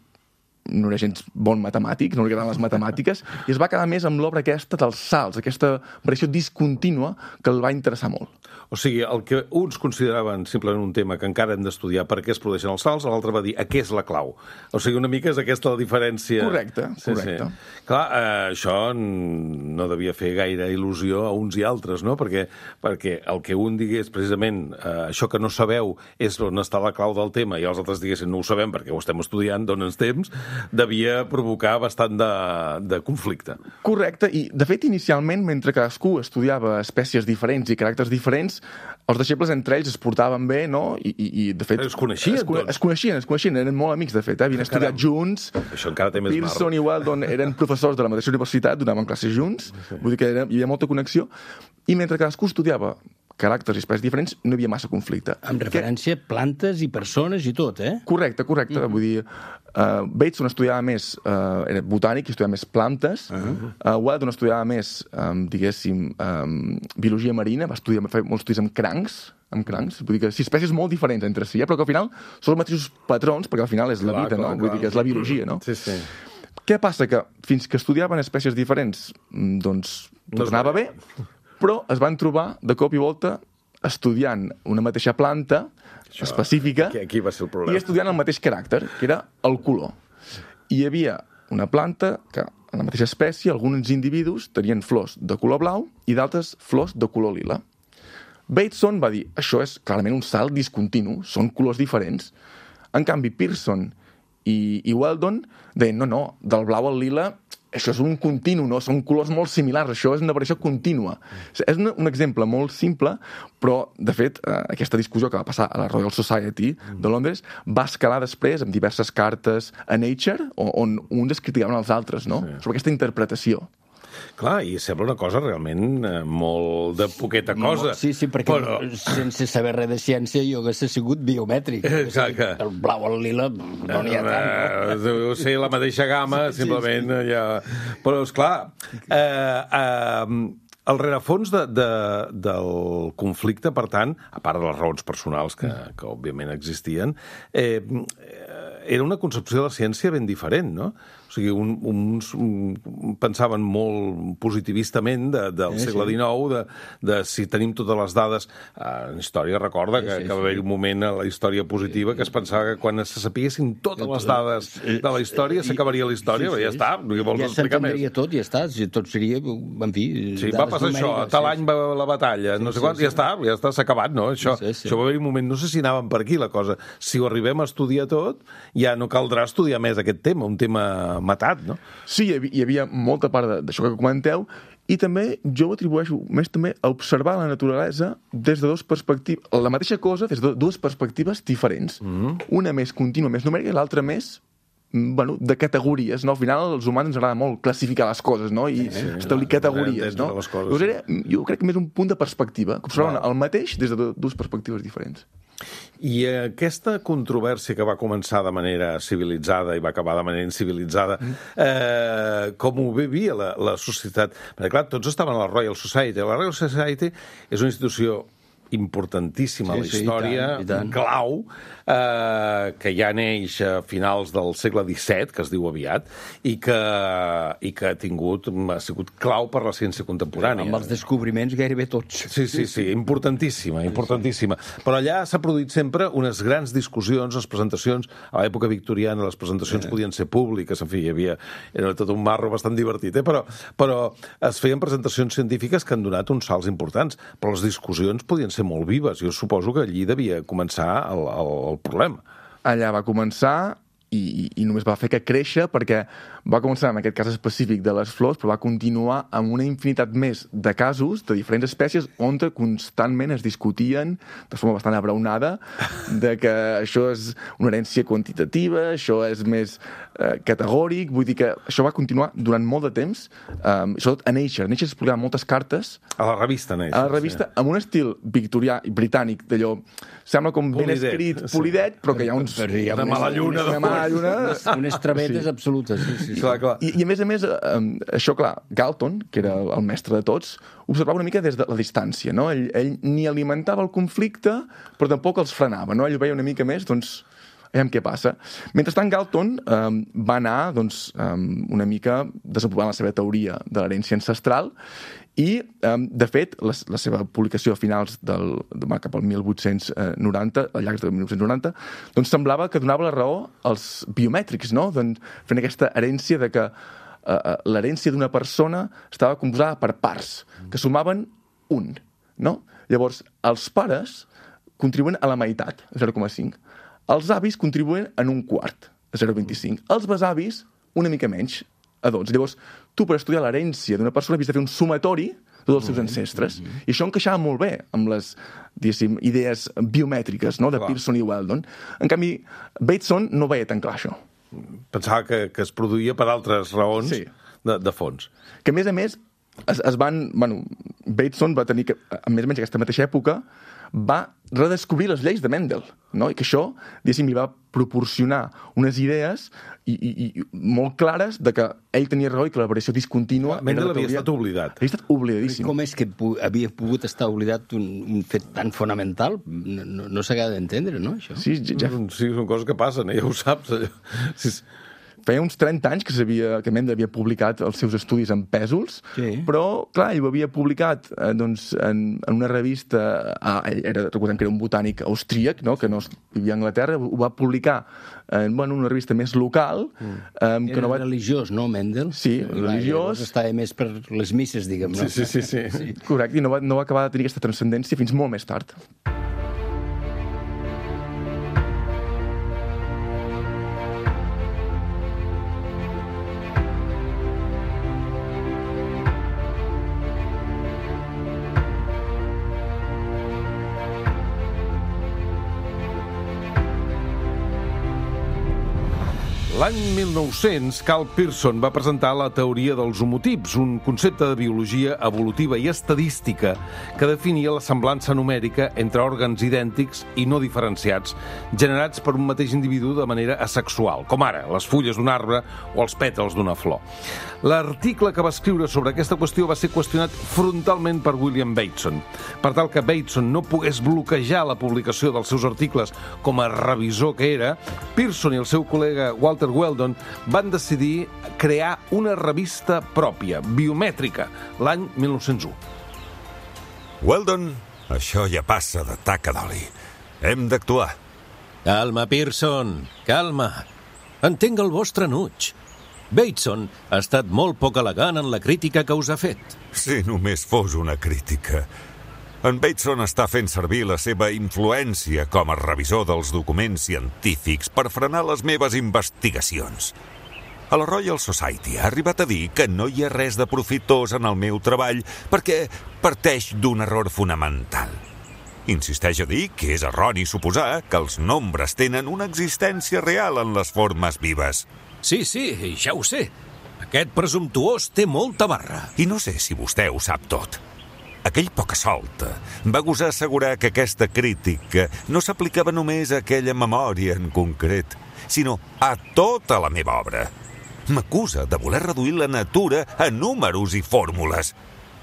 no era gens bon matemàtic, no li agradaven les matemàtiques, i es va quedar més amb l'obra aquesta dels salts, aquesta variació discontínua que el va interessar molt. O sigui, el que uns consideraven simplement un tema que encara hem d'estudiar per què es produeixen els salts, l'altre va dir a què és la clau. O sigui, una mica és aquesta la diferència. Correcte, sí, correcte. Sí. Clar, eh, això no devia fer gaire il·lusió a uns i altres, no? Perquè, perquè el que un digués precisament eh, això que no sabeu és on està la clau del tema i els altres diguessin no ho sabem perquè ho estem estudiant, dona'ns temps, devia provocar bastant de, de conflicte. Correcte, i de fet inicialment, mentre cadascú estudiava espècies diferents i caràcters diferents, els deixebles entre ells es portaven bé, no? I, i, i de fet... Es coneixien, es, doncs? Es coneixien, es coneixien, eren molt amics, de fet, eh? Havien estudiat junts. Això encara té més mar. Pearson i Weldon eren professors de la mateixa universitat, donaven classes junts, sí. Vull dir que era, hi havia molta connexió, i mentre cadascú estudiava caràcters i espècies diferents, no hi havia massa conflicte. Amb referència a plantes i persones i tot, eh? Correcte, correcte. Mm-hmm. Vull dir, uh, Bateson estudiava més, uh, era botànic, estudiava més plantes. Uh-huh. uh, Weldon estudiava més, um, diguéssim, um, biologia marina, va estudiar, va fer molts estudis amb crancs, amb crancs. Vull dir que sí, espècies molt diferents entre si, eh? Però que al final són els mateixos patrons, perquè al final és la clar, vida, clar, no? Clar. Vull dir que és la biologia, no? Sí, sí. Què passa? Que fins que estudiaven espècies diferents, doncs tot no anava bé, però es van trobar de cop i volta estudiant una mateixa planta això, específica aquí, aquí va ser el problema. I estudiant el mateix caràcter, que era el color. I hi havia una planta que, en la mateixa espècie, alguns individus tenien flors de color blau i d'altres flors de color lila. Bateson va dir, això és clarament un salt discontinu, són colors diferents. En canvi, Pearson i, i Weldon deien, no, no, del blau al lila això és un continu, no? Són colors molt similars, això és una variació contínua. És un, un exemple molt simple, però, de fet, eh, aquesta discussió que va passar a la Royal Society de Londres va escalar després amb diverses cartes a Nature, on, on uns es criticaven als altres, no? Sí. Sobre aquesta interpretació. Clar, i sembla una cosa realment eh, molt de poqueta cosa. Sí, sí, perquè però... sense saber res de ciència jo hagués sigut biomètric. Clar, que... El blau al lila no n'hi ha tant. No? Deu ser la mateixa gamma, sí, simplement. Sí, sí. Ja... Però, esclar, eh, eh, el rerefons de, de, del conflicte, per tant, a part de les raons personals que, que òbviament existien, eh, era una concepció de la ciència ben diferent, no? O sigui, un, uns un, pensaven molt positivistament de, del sí, segle dinou, de, de si tenim totes les dades... En història recorda que, sí, sí, que va haver un moment a la història positiva que es pensava que quan se sapiguessin totes les dades de la història s'acabaria la història, sí, sí, ja està, no vols ja explicar més. Ja s'entendria tot, ja està, tot seria, en fi... Sí, va passar això, a tal any va la batalla, no sé quant, ja està, ja està, s'ha acabat, no? Això, sí, sí. això va haver un moment, no sé si anàvem per aquí la cosa, si ho arribem a estudiar tot, ja no caldrà estudiar més aquest tema, un tema matat, no? Sí, hi havia, hi havia molta part d'això que comenteu, i també jo ho atribueixo més també a observar la naturalesa des de dues perspectives, la mateixa cosa des de dues perspectives diferents. Mm-hmm. Una més contínua, més numèrica, i l'altra més bueno, de categories, no? Al final als humans ens agrada molt classificar les coses, no? I sí, establir categories, no? Llavors era, jo crec que més un punt de perspectiva, que observaven el mateix des de dues perspectives diferents. I aquesta controvèrsia que va començar de manera civilitzada i va acabar de manera incivilitzada, eh, com ho vivia la, la societat? Perquè, clar, tots estaven a la Royal Society. La Royal Society és una institució importantíssima a la història, sí, i tant, i tant. clau, eh, que ja neix a finals del segle disset, que es diu aviat, i que, i que ha tingut, ha sigut clau per la ciència contemporània. Amb els descobriments gairebé tots. Sí, sí, sí, importantíssima, importantíssima. Però allà s'ha produït sempre unes grans discussions, les presentacions, a l'època victoriana les presentacions eh. podien ser públiques, en fi, hi havia, era tot un marro bastant divertit, eh? però, però es feien presentacions científiques que han donat uns salts importants, però les discussions podien ser molt vives. Jo suposo que allí devia començar el, el, el problema. Allà va començar i, i només va fer que créixer perquè va començar en aquest cas específic de les flors, però va continuar amb una infinitat més de casos de diferents espècies on constantment es discutien de forma bastant abraonada de que això és una herència quantitativa, això és més eh, categòric, vull dir que això va continuar durant molt de temps, eh, sobretot a Nature. A Nature es publicaven moltes cartes a la revista Nature, a la revista, sí. Amb un estil victorià i britànic, d'allò, sembla com ben polidet, escrit, polidet, però que hi ha uns... Hi ha una mala lluna. Una mala lluna. Unes, unes travetes sí. absolutes. Sí, sí. Sí. Clar, clar. I, I a més a més, eh, això clar, Galton, que era el mestre de tots, observava una mica des de la distància, no? Ell, ell ni alimentava el conflicte, però tampoc els frenava, no? Ell veia una mica més, doncs, aviam què passa. Mentrestant, Galton eh, va anar, doncs, eh, una mica desenvolupant la seva teoria de l'herència ancestral i, eh, de fet, la, la seva publicació a finals del, de, cap al mil vuit-cents noranta, al llarg del mil vuit-cents noranta, doncs semblava que donava la raó als biomètrics, no? Doncs, fent aquesta herència de que eh, l'herència d'una persona estava composada per parts, que sumaven un, no? Llavors, els pares contribuïen a la meitat, zero coma cinc. Els avis contribuïen en un quart, zero coma vint-i-cinc. Els besavis, una mica menys, a dotze. Llavors, tu per estudiar l'herència d'una persona havies de fer un sumatori de tots els seus ancestres. Mm-hmm. I això encaixava molt bé amb les, diguéssim, idees biomètriques, no?, de clar. Pearson i Weldon. En canvi, Bateson no veia tan clar això. Pensava que, que es produïa per altres raons sí. de, de fons. Que, a més a més, es, es van... Bueno, Bateson va tenir que, a més o menys aquesta mateixa època, va redescobrir les lleis de Mendel, no? I que això, diguéssim, li va proporcionar unes idees i, i, i molt clares de que ell tenia raó i que la variació discontínua... Mendel havia estat oblidat. Havia estat oblidadíssim. Com és que havia pogut estar oblidat un, un fet tan fonamental? No, no, no s'acaba d'entendre, no, això? Sí, ja... sí, són coses que passen, eh? Ja ho saps. Sí. Feia uns trenta anys que, que Mendel havia publicat els seus estudis en pèsols, sí. Però, clar, ell ho havia publicat eh, doncs, en, en una revista... Ah, era, recordem que era un botànic austríac, no?, que no vivia a Anglaterra, ho va publicar en bueno, una revista més local. Mm. Eh, que era no va... religiós, no, Mendel? Sí, religiós. Estava més per les misses, diguem, no? Sí, sí, sí. sí. sí. Correcte, i no va, no va acabar de tenir aquesta transcendència fins molt més tard. L'any mil nou-cents, Carl Pearson va presentar la teoria dels homotips, un concepte de biologia evolutiva i estadística que definia la semblança numèrica entre òrgans idèntics i no diferenciats, generats per un mateix individu de manera asexual, com ara les fulles d'un arbre o els pètals d'una flor. L'article que va escriure sobre aquesta qüestió va ser qüestionat frontalment per William Bateson. Per tal que Bateson no pogués bloquejar la publicació dels seus articles com a revisor que era, Pearson i el seu col·lega Walter Weldon van decidir crear una revista pròpia, biomètrica, l'any mil nou-cents u. Weldon, això ja passa de taca d'oli. Hem d'actuar. Calma, Pearson, calma. Entenc el vostre enuig. Bateson ha estat molt poc elegant en la crítica que us ha fet. Si només fos una crítica. En Bateson està fent servir la seva influència com a revisor dels documents científics per frenar les meves investigacions. A la Royal Society ha arribat a dir que no hi ha res de profitós en el meu treball perquè parteix d'un error fonamental. Insisteix a dir que és erroni suposar que els nombres tenen una existència real en les formes vives. Sí, sí, ja ho sé. Aquest presumptuós té molta barra. I no sé si vostè ho sap tot. Aquell poca-solta va gosar assegurar que aquesta crítica no s'aplicava només a aquella memòria en concret, sinó a tota la meva obra. M'acusa de voler reduir la natura a números i fórmules.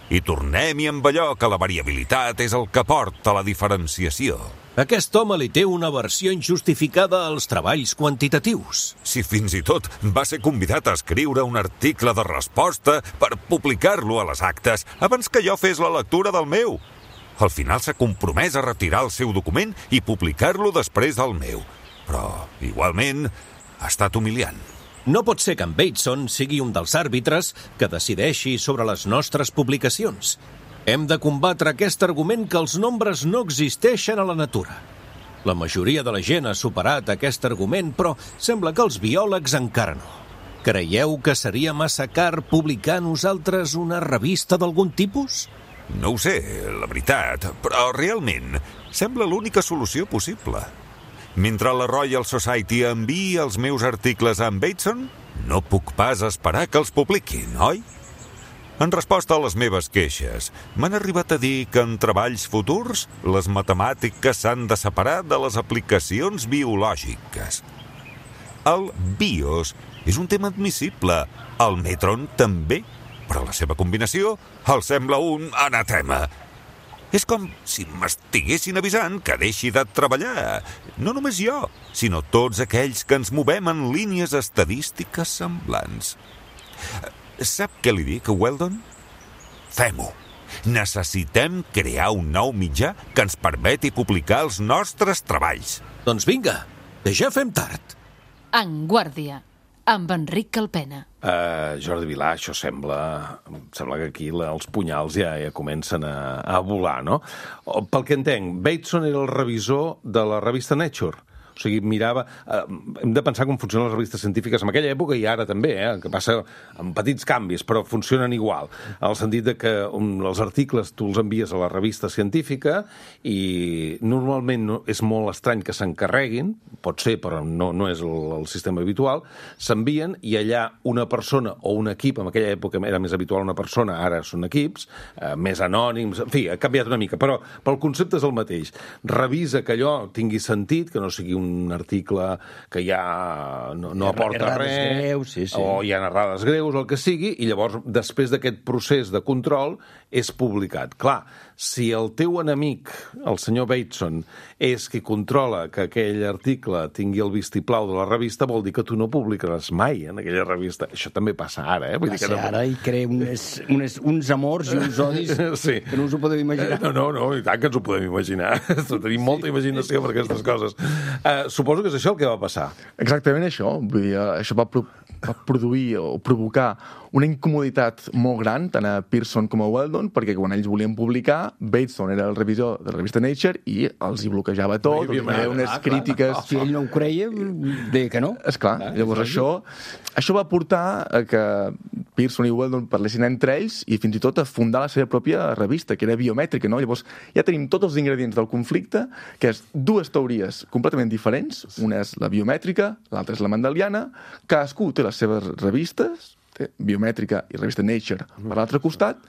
I tornem-hi amb allò que la variabilitat és el que porta a la diferenciació. Aquest home li té una versió injustificada als treballs quantitatius. Si fins i tot va ser convidat a escriure un article de resposta per publicar-lo a les actes abans que jo fes la lectura del meu. Al final s'ha compromès a retirar el seu document i publicar-lo després del meu. Però, igualment, ha estat humiliant. No pot ser que en Bateson sigui un dels àrbitres que decideixi sobre les nostres publicacions. Hem de combatre aquest argument que els nombres no existeixen a la natura. La majoria de la gent ha superat aquest argument, però sembla que els biòlegs encara no. Creieu que seria massa car publicar nosaltres una revista d'algun tipus? No ho sé, la veritat, però realment sembla l'única solució possible. Mentre la Royal Society enviï els meus articles a en Bateson, no puc pas esperar que els publiquin, oi? En resposta a les meves queixes, m'han arribat a dir que en treballs futurs les matemàtiques s'han de separar de les aplicacions biològiques. El BIOS és un tema admissible, el Metron també, però la seva combinació el sembla un anatema. És com si m'estiguessin avisant que deixi de treballar. No només jo, sinó tots aquells que ens movem en línies estadístiques semblants. Sap què li dic, Weldon? Fem-ho. Necessitem crear un nou mitjà que ens permeti publicar els nostres treballs. Doncs vinga, que ja fem tard. En Guàrdia, amb Enric Calpena. Uh, Jordi Vilà, això sembla... Sembla que aquí la, els punyals ja, ja comencen a, a volar, no? O, pel que entenc, Bateson era el revisor de la revista Nature. O sigui, mirava... Eh, hem de pensar com funcionen les revistes científiques en aquella època i ara també, eh, que passa amb petits canvis, però funcionen igual. En el sentit de que um, els articles tu els envies a la revista científica i normalment no, és molt estrany que s'encarreguin, pot ser, però no, no és el, el sistema habitual, s'envien i allà una persona o un equip, en aquella època era més habitual una persona, ara són equips, eh, més anònims, en fi, ha canviat una mica, però, però el concepte és el mateix. Revisa que allò tingui sentit, que no sigui un un article que ja no, no aporta res, greus, sí, sí. o hi ha errades greus, el que sigui, i llavors, després d'aquest procés de control, és publicat. Clar, si el teu enemic, el senyor Bateson, és qui controla que aquell article tingui el vistiplau de la revista, vol dir que tu no publicaràs mai en aquella revista. Això també passa ara, eh? Vull passa dir que no... ara i crea unes, unes, uns amors i uns odis sí. que no us ho podeu imaginar. No, no, no, i tant que ens ho podem imaginar. Tenim molta imaginació per aquestes coses. Uh, suposo que és això el que va passar. Exactament això. Vull dir, això va, pro va produir o provocar una incomoditat molt gran tant a Pearson com a Weldon, perquè quan ells volien publicar, Bateson era el revisor de la revista Nature i els hi bloquejava tot, hi havia unes ah, crítiques... Clar. Si ell no ho creia, deia que no. Esclar, ah, llavors això, això va portar a que Pearson i Weldon parlessin entre ells i fins i tot a fundar la seva pròpia revista, que era biomètrica, no? Llavors ja tenim tots els ingredients del conflicte, que és dues teories completament diferents, una és la biomètrica, l'altra és la mendeliana, cadascú té les seves revistes, té biomètrica i revista Nature per l'altre costat,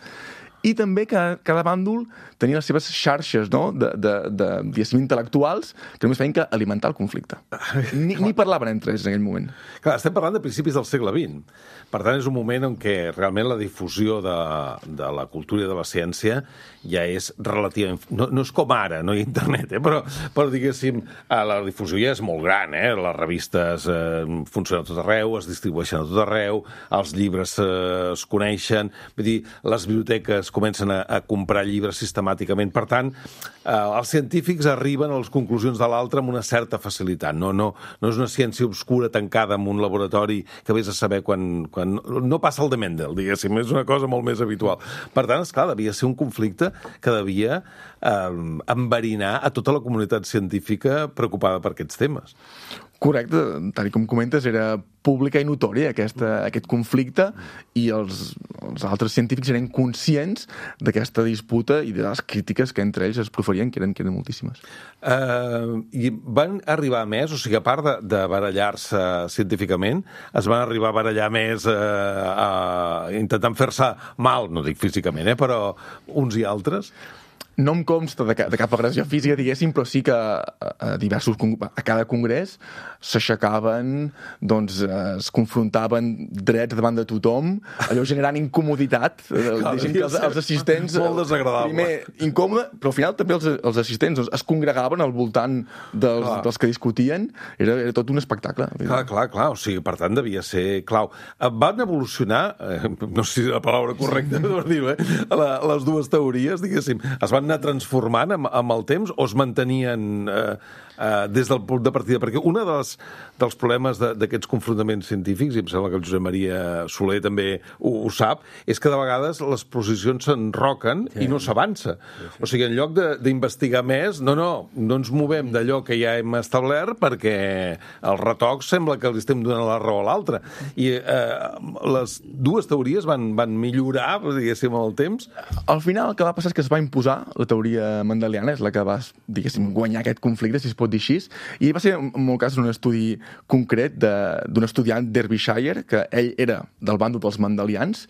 i també cada, cada bàndol tenia les seves xarxes, no?, de, de, de, diguéssim, intel·lectuals que només feien que alimentar el conflicte. Ni, ni parlaven entre ells en aquell moment. Clar, estem parlant de principis del segle vint. Per tant, és un moment en què realment la difusió de, de la cultura i de la ciència ja és relativament... No, no és com ara, no hi ha internet, eh? però, però diguéssim, la difusió ja és molt gran, eh? Les revistes eh, funcionen a tot arreu, es distribueixen a tot arreu, els llibres eh, es coneixen, vull dir, les biblioteques comencen a, a comprar llibres sistemàticament. Per tant, eh, els científics arriben a les conclusions de l'altre amb una certa facilitat. No, no, no és una ciència obscura tancada en un laboratori que vés a saber quan, quan... No passa el de Mendel, diguéssim, és una cosa molt més habitual. Per tant, esclar, devia ser un conflicte que devia eh, enverinar a tota la comunitat científica preocupada per aquests temes. Correcte, tal com comentes, era pública i notòria aquesta, aquest conflicte i els, els altres científics eren conscients d'aquesta disputa i de les crítiques que entre ells es proferien, que eren, que eren moltíssimes. Uh, I van arribar més, o sigui, a part de, de barallar-se científicament, es van arribar a barallar més uh, uh, intentant fer-se mal, no dic físicament, eh, però uns i altres? No em consta de, de cap agressió física, diguéssim, però sí que a, a diversos, a cada congrés s'aixecaven, doncs es confrontaven drets davant de tothom, allò generant incomoditat, Clar, diguéssim que els, els assistents... Molt desagradable. Primer incòmode, però al final també els, els assistents doncs, es congregaven al voltant dels, dels que discutien, era, era tot un espectacle. Clar, clar, clar, o sigui, per tant devia ser clau. Van evolucionar, eh, no sé si la paraula correcta per dir-ho, eh, la, les dues teories, diguéssim, es van anar transformant amb, amb el temps o es mantenien eh, eh, des del punt de partida? Perquè un dels, dels problemes d'aquests confrontaments científics, i em sembla que el Josep Maria Soler també ho, ho sap, és que de vegades les posicions s'enroquen sí. i no s'avança. Sí, sí. O sigui, en lloc d'investigar més, no, no, no ens movem d'allò que ja hem establert perquè el retoc sembla que li estem donant la raó a l'altre. I eh, les dues teories van, van millorar, diguéssim, amb el temps. Al final el que va passar és que es va imposar la teoria mendeliana, és la que va, diguéssim, guanyar aquest conflicte, si es pot dir així, i va ser, en molt cas, un estudi concret d'un estudiant d'Derbyshire, que ell era del bàndol dels mendelians,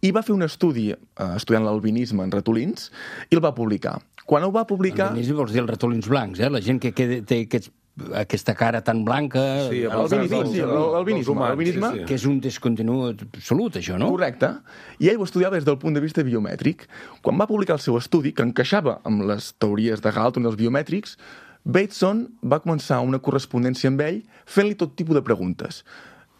i va fer un estudi eh, estudiant l'albinisme en ratolins, i el va publicar. Quan ho va publicar... Albinisme vols dir els ratolins blancs, eh? La gent que, que té aquests aquesta cara tan blanca... Sí, l'albinisme, sí, sí. Que és un descontingut absolut, això, no? Correcte. I ell ho estudiava des del punt de vista biomètric. Quan va publicar el seu estudi, que encaixava amb les teories de Galton dels biomètrics, Bateson va començar una correspondència amb ell fent-li tot tipus de preguntes.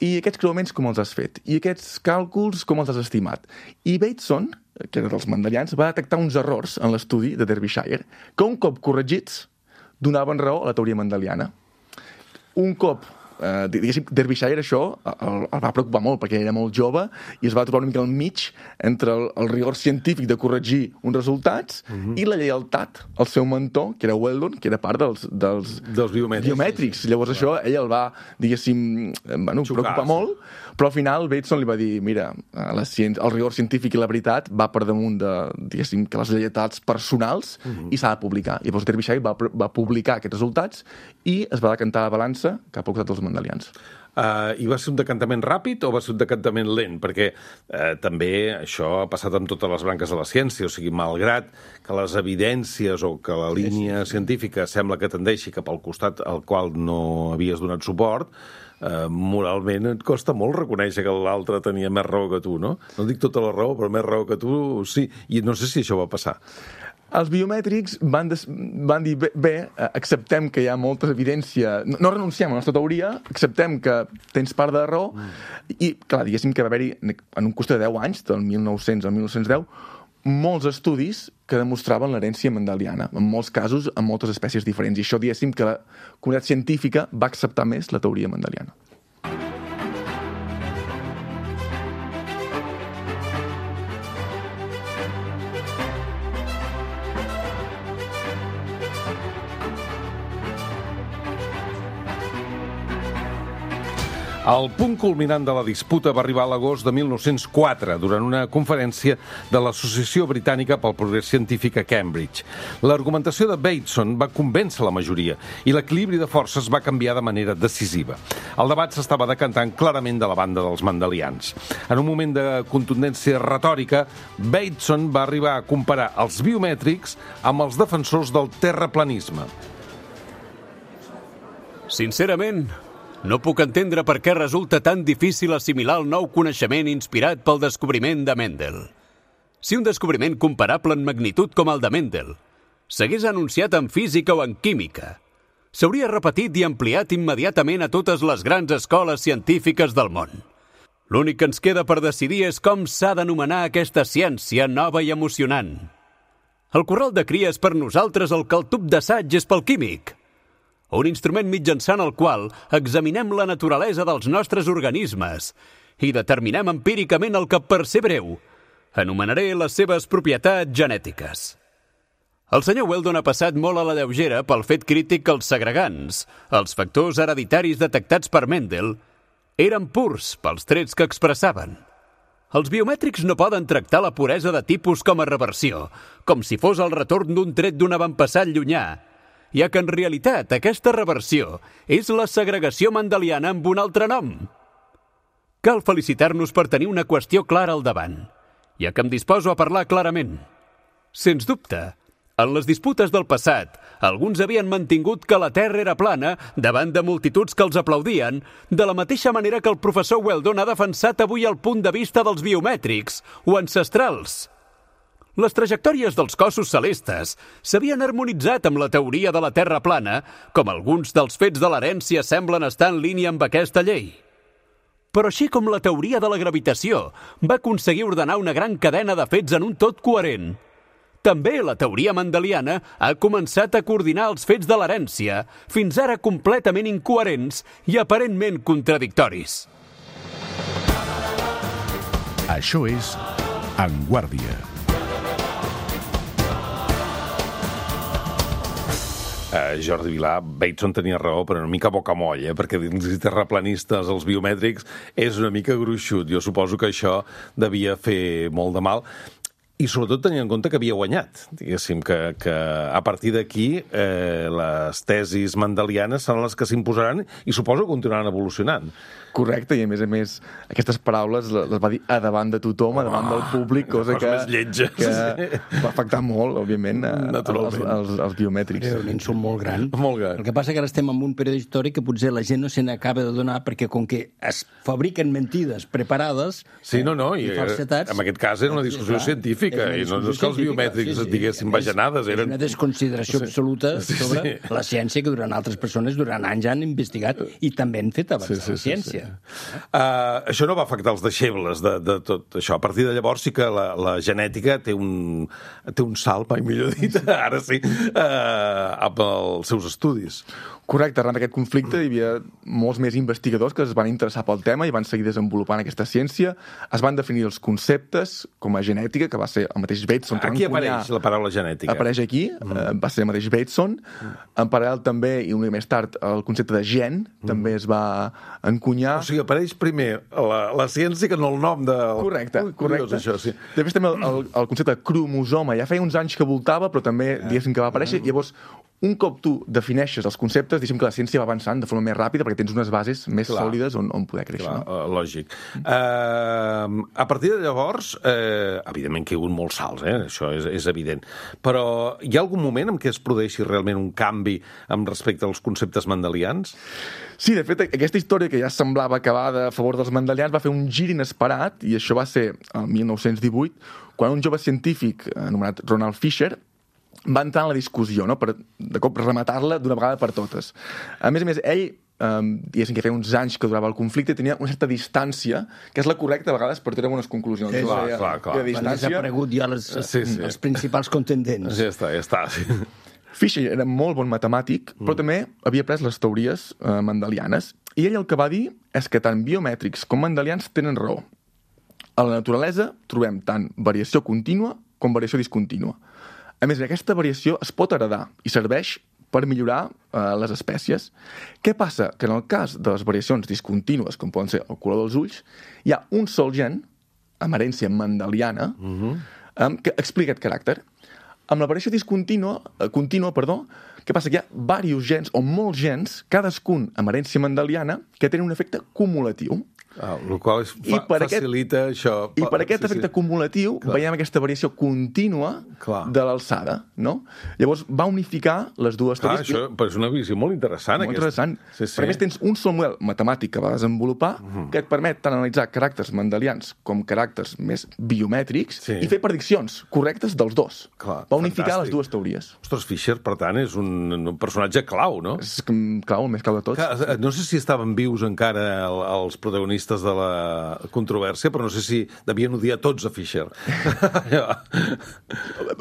I aquests creuaments com els has fet? I aquests càlculs com els has estimat? I Bateson, que era dels mendelians, va detectar uns errors en l'estudi de Derbyshire que un cop corregits donaven raó a la teoria mendeliana. Un cop, eh, diguéssim, Derbyshire això el, el va preocupar molt, perquè era molt jove i es va trobar una mica al mig entre el, el rigor científic de corregir uns resultats uh-huh. i la lleialtat al seu mentor, que era Weldon, que era part dels, dels, dels biomètrics. biomètrics. Llavors sí, això ell el va, diguéssim, bueno, Xocar, preocupar sí. molt, però al final Bateson li va dir, mira, la ciència, el rigor científic i la veritat va per damunt de, diguéssim, que les lleialtats personals uh-huh. i s'ha de publicar. I llavors Derbyshire va, va publicar aquests resultats i es va decantar la balança cap al costat dels mendelians. Uh, I va ser un decantament ràpid o va ser un decantament lent? Perquè uh, també això ha passat amb totes les branques de la ciència, o sigui, malgrat que les evidències o que la línia científica sembla que tendeixi cap al costat al qual no havies donat suport, Uh, moralment et costa molt reconèixer que l'altre tenia més raó que tu, no? No dic tota la raó, però més raó que tu, sí. I no sé si això va passar. Els biomètrics van, des, van dir, bé, bé, acceptem que hi ha molta evidència, no, no renunciem a la nostra teoria, acceptem que tens part de raó, mm. i, clar, diguéssim que va haver-hi, en un costat de deu anys, del mil nou-cents al mil nou-cents deu, molts estudis que demostraven l'herència mendeliana, en molts casos, en moltes espècies diferents. I això, diguéssim, que la comunitat científica va acceptar més la teoria mendeliana. El punt culminant de la disputa va arribar a l'agost de mil nou-cents quatre, durant una conferència de l'Associació Britànica pel Progrés Científic a Cambridge. L'argumentació de Bateson va convèncer la majoria i l'equilibri de forces va canviar de manera decisiva. El debat s'estava decantant clarament de la banda dels mandelians. En un moment de contundència retòrica, Bateson va arribar a comparar els biomètrics amb els defensors del terraplanisme. Sincerament, no puc entendre per què resulta tan difícil assimilar el nou coneixement inspirat pel descobriment de Mendel. Si un descobriment comparable en magnitud com el de Mendel s'hagués anunciat en física o en química, s'hauria repetit i ampliat immediatament a totes les grans escoles científiques del món. L'únic que ens queda per decidir és com s'ha d'anomenar aquesta ciència nova i emocionant. El corral de cria és per nosaltres el que el tub d'assaig és pel químic. Un instrument mitjançant el qual examinem la naturalesa dels nostres organismes i determinem empíricament el que, per ser breu, anomenaré les seves propietats genètiques. El senyor Weldon ha passat molt a la lleugera pel fet crític que els segregants, els factors hereditaris detectats per Mendel, eren purs pels trets que expressaven. Els biomètrics no poden tractar la puresa de tipus com a reversió, com si fos el retorn d'un tret d'un avantpassat llunyà, ja que en realitat aquesta reversió és la segregació mendeliana amb un altre nom. Cal felicitar-nos per tenir una qüestió clara al davant, ja que em disposo a parlar clarament. Sens dubte, en les disputes del passat, alguns havien mantingut que la Terra era plana davant de multituds que els aplaudien, de la mateixa manera que el professor Weldon ha defensat avui el punt de vista dels biomètrics o ancestrals. Les trajectòries dels cossos celestes s'havien harmonitzat amb la teoria de la Terra plana, com alguns dels fets de l'herència semblen estar en línia amb aquesta llei. Però així com la teoria de la gravitació va aconseguir ordenar una gran cadena de fets en un tot coherent, també la teoria mendeliana ha començat a coordinar els fets de l'herència, fins ara completament incoherents i aparentment contradictoris. Això és En Guàrdia. Uh, Jordi Vilà, Bateson tenia raó, però una mica bocamoll, eh? Perquè dins els terraplanistes, els biomètrics, és una mica gruixut. Jo suposo que això devia fer molt de mal. I sobretot tenint en compte que havia guanyat, diguéssim, que, que a partir d'aquí eh, les tesis mendelianes són les que s'imposaran i suposo que continuaran evolucionant. Correcte, i a més a més, aquestes paraules les va dir a davant de tothom, a davant del públic, cosa que, que va afectar molt, òbviament, als, als, als biomètrics. És un insult molt gran. Molt gran. El que passa que ara estem en un període històric que potser la gent no se n'acaba de donar perquè com que es fabriquen mentides preparades sí, no, no, i, i falsetats... En aquest cas era una discussió sí, científica, i no és que els biomètrics sí, sí, diguessin bajanades. És eren... una desconsideració sí. absoluta sobre sí, sí. la ciència que durant altres persones durant anys han investigat i també han fet abans sí, sí, la ciència. Sí, sí. Uh, això no va afectar els deixebles de, de tot això. A partir de llavors sí que la, la genètica té un, té un salt, mai millor dit, ara sí, uh, amb els seus estudis. Correcte, arran d'aquest conflicte hi havia molts més investigadors que es van interessar pel tema i van seguir desenvolupant aquesta ciència. Es van definir els conceptes com a genètica, que va ser el mateix Bateson. Aquí apareix la paraula genètica. Apareix aquí, mm. eh, va ser el mateix Bateson. Mm. En paral·lel també, i una mica més tard, el concepte de gen mm. també es va encunyar. O sigui, apareix primer la, la ciència que no el nom de... Correcte, Ui, correcte. Curiós, això, sí. Després també el, el, el concepte de cromosoma. Ja feia uns anys que voltava, però també, diguéssim, que va aparèixer. Mm. Llavors, un cop tu defineixes els conceptes, diguéssim que la ciència va avançant de forma més ràpida perquè tens unes bases més clar, sòlides on, on poder créixer. Clar, no? Lògic. Uh, a partir de llavors, uh, evidentment que hi ha hagut molts salts, eh? Això és, és evident. Però hi ha algun moment en què es produeixi realment un canvi amb respecte als conceptes mendelians? Sí, de fet, aquesta història que ja semblava acabada a favor dels mendelians va fer un gir inesperat, i això va ser el mil nou-cents divuit, quan un jove científic anomenat Ronald Fisher va entrar en la discussió, no?, per de cop rematar-la d'una vegada per totes. A més a més, ell, eh, diguéssim que feia uns anys que durava el conflicte, tenia una certa distància, que és la correcta a vegades per treure unes conclusions. Sí, clar, clar, clar, clar. Quan ha desaparegut ja les, sí, sí. els principals contendents. Ja està, ja està. Sí. Fisher era molt bon matemàtic, mm. però també havia pres les teories eh, mendelianes, i ell el que va dir és que tant biomètrics com mendelians tenen raó. A la naturalesa trobem tant variació contínua com variació discontínua. A més, aquesta variació es pot heredar i serveix per millorar eh, les espècies. Què passa? Que en el cas de les variacions discontínues, com poden ser el color dels ulls, hi ha un sol gen, amb herència mendeliana, uh-huh. eh, que explica aquest caràcter. Amb la variació discontínua, eh, contínua, perdó, què passa? Que hi ha diversos gens, o molts gens, cadascun amb herència mendeliana, que tenen un efecte cumulatiu. Ah, el qual fa, facilita aquest, això. I per aquest sí, efecte sí. cumulatiu Clar. veiem aquesta variació contínua Clar. de l'alçada, no? Llavors va unificar les dues Clar, teories. Això però és una visió molt interessant. Molt aquesta. interessant. Sí, sí. Per més tens un sol model matemàtic que va desenvolupar uh-huh. que et permet tant analitzar caràcters mendelians com caràcters més biomètrics sí. i fer prediccions correctes dels dos. Clar, va unificar fantàstic. les dues teories. Ostres, Fisher, per tant, és un, un personatge clau, no? És clau, el més clau de tots. Clar, no sé si estaven vius encara els protagonistes de la controvèrsia, però no sé si devien odiar tots a Fisher.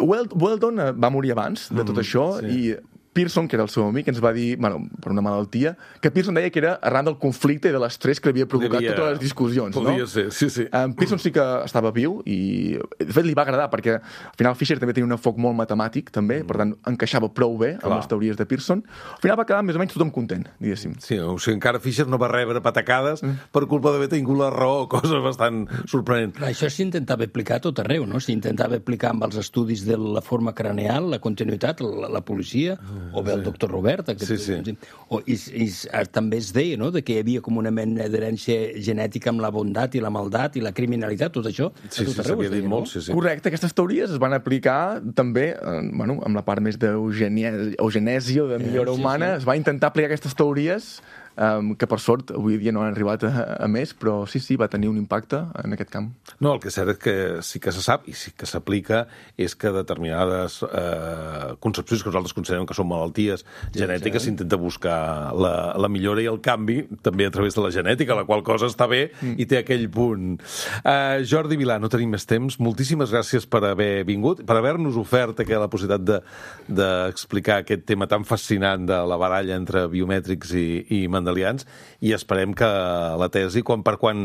Weldon va morir abans de tot mm, això sí. i Pearson, que era el seu amic, ens va dir, bueno, per una malaltia, que Pearson deia que era arran del conflicte i de l'estrès que havia provocat Devia... totes les discussions. Podria no? ser, sí, sí. Um, Pearson sí que estava viu i, de fet, li va agradar, perquè al final Fisher també tenia un enfoc molt matemàtic, també, mm. per tant, encaixava prou bé Clar. amb les teories de Pearson. Al final va quedar més o menys tothom content, diguéssim. Sí, o sigui, encara Fisher no va rebre patacades mm. per culpa d'haver tingut la raó, cosa bastant sorprenent. Però això s'intentava aplicar a tot arreu, no? S'intentava aplicar amb els estudis de la forma craneal, la continuïtat, la, la policia, mm, o bé el sí. doctor Robert. Aquest, sí, sí. O, i, i, també es deia, no?, de que hi havia com una mena d'herència genètica amb la bondat i la maldat i la criminalitat, tot això. Sí, sí, s'havia dit molt, sí, sí. Correcte, aquestes teories es van aplicar també, eh, bueno, amb la part més d'eugenèsia o de millora sí, humana, sí. es va intentar aplicar aquestes teories Um, que per sort avui dia no han arribat a, a més, però sí, sí, va tenir un impacte en aquest camp. No, el que és cert és que sí que se sap i sí que s'aplica és que determinades eh, concepcions que nosaltres considerem que són malalties sí, genètiques s'intenta sí. buscar la, la millora i el canvi també a través de la genètica, la qual cosa està bé mm. i té aquell punt. Uh, Jordi Vilà, no tenim més temps. Moltíssimes gràcies per haver vingut, per haver-nos ofert aquella possibilitat d'explicar de, aquest tema tan fascinant de la baralla entre biomètrics i, i mendelians, i esperem que la tesi, quan per quan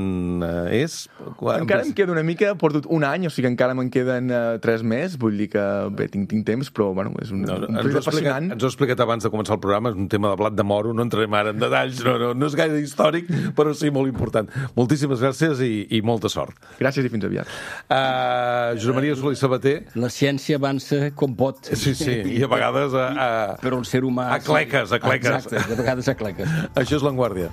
eh, és? Quan... Encara em queda una mica, porto un any, o sigui que encara me'n queden uh, tres més, vull dir que bé, tinc, tinc temps, però bueno, és un, no, no, un projecte apassionant. Ens ho he explicat abans de començar el programa, és un tema de blat de moro, no entrarem ara en detalls, no, no, no és gaire històric, però sí molt important. Moltíssimes gràcies i, i molta sort. Gràcies i fins aviat. Uh, Josep Maria Solé i Sabater. La ciència avança com pot. Sí, sí, i a vegades a... a... Però un ser humà... A cleques, a cleques. Exacte, de vegades a cleques. Això és L'Enguàrdia.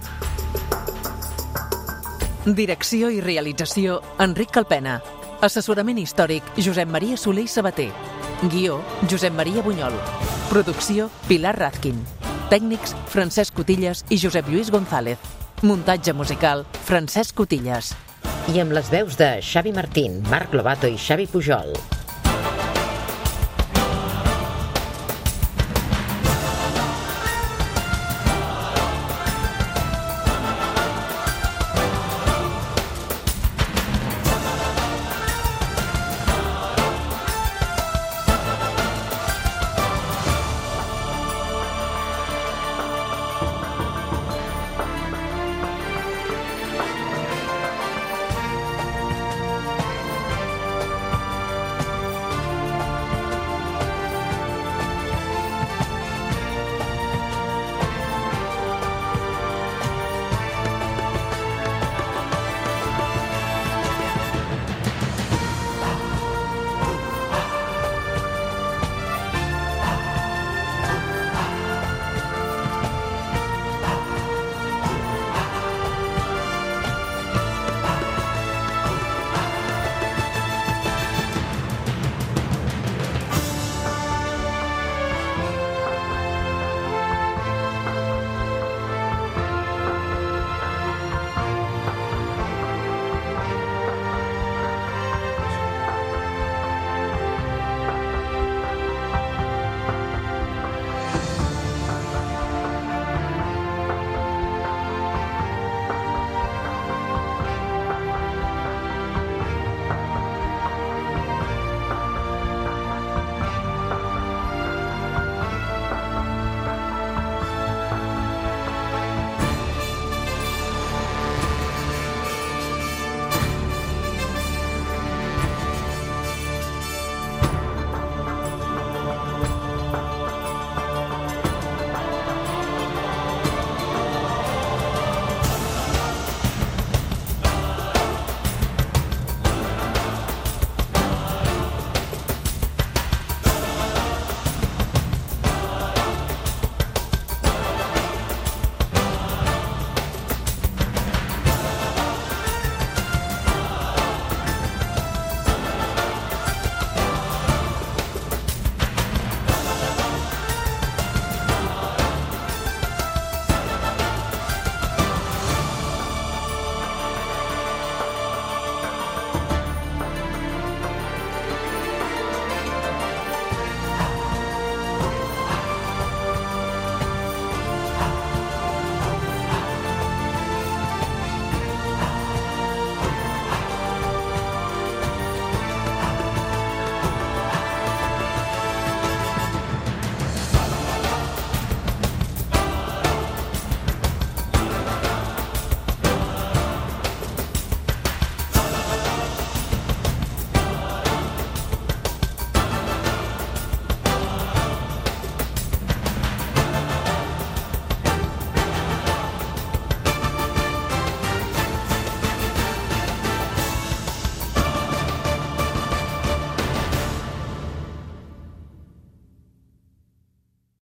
Direcció i realització, Enric Calpena. Assessorament històric, Josep Maria Solé i Sabater. Guió, Josep Maria Bunyol. Producció, Pilar Razkin. Tècnics, Francesc Cotillas i Josep Lluís González. Muntatge musical, Francesc Cotillas. I amb les veus de Xavi Martín, Marc Lobato i Xavi Pujol.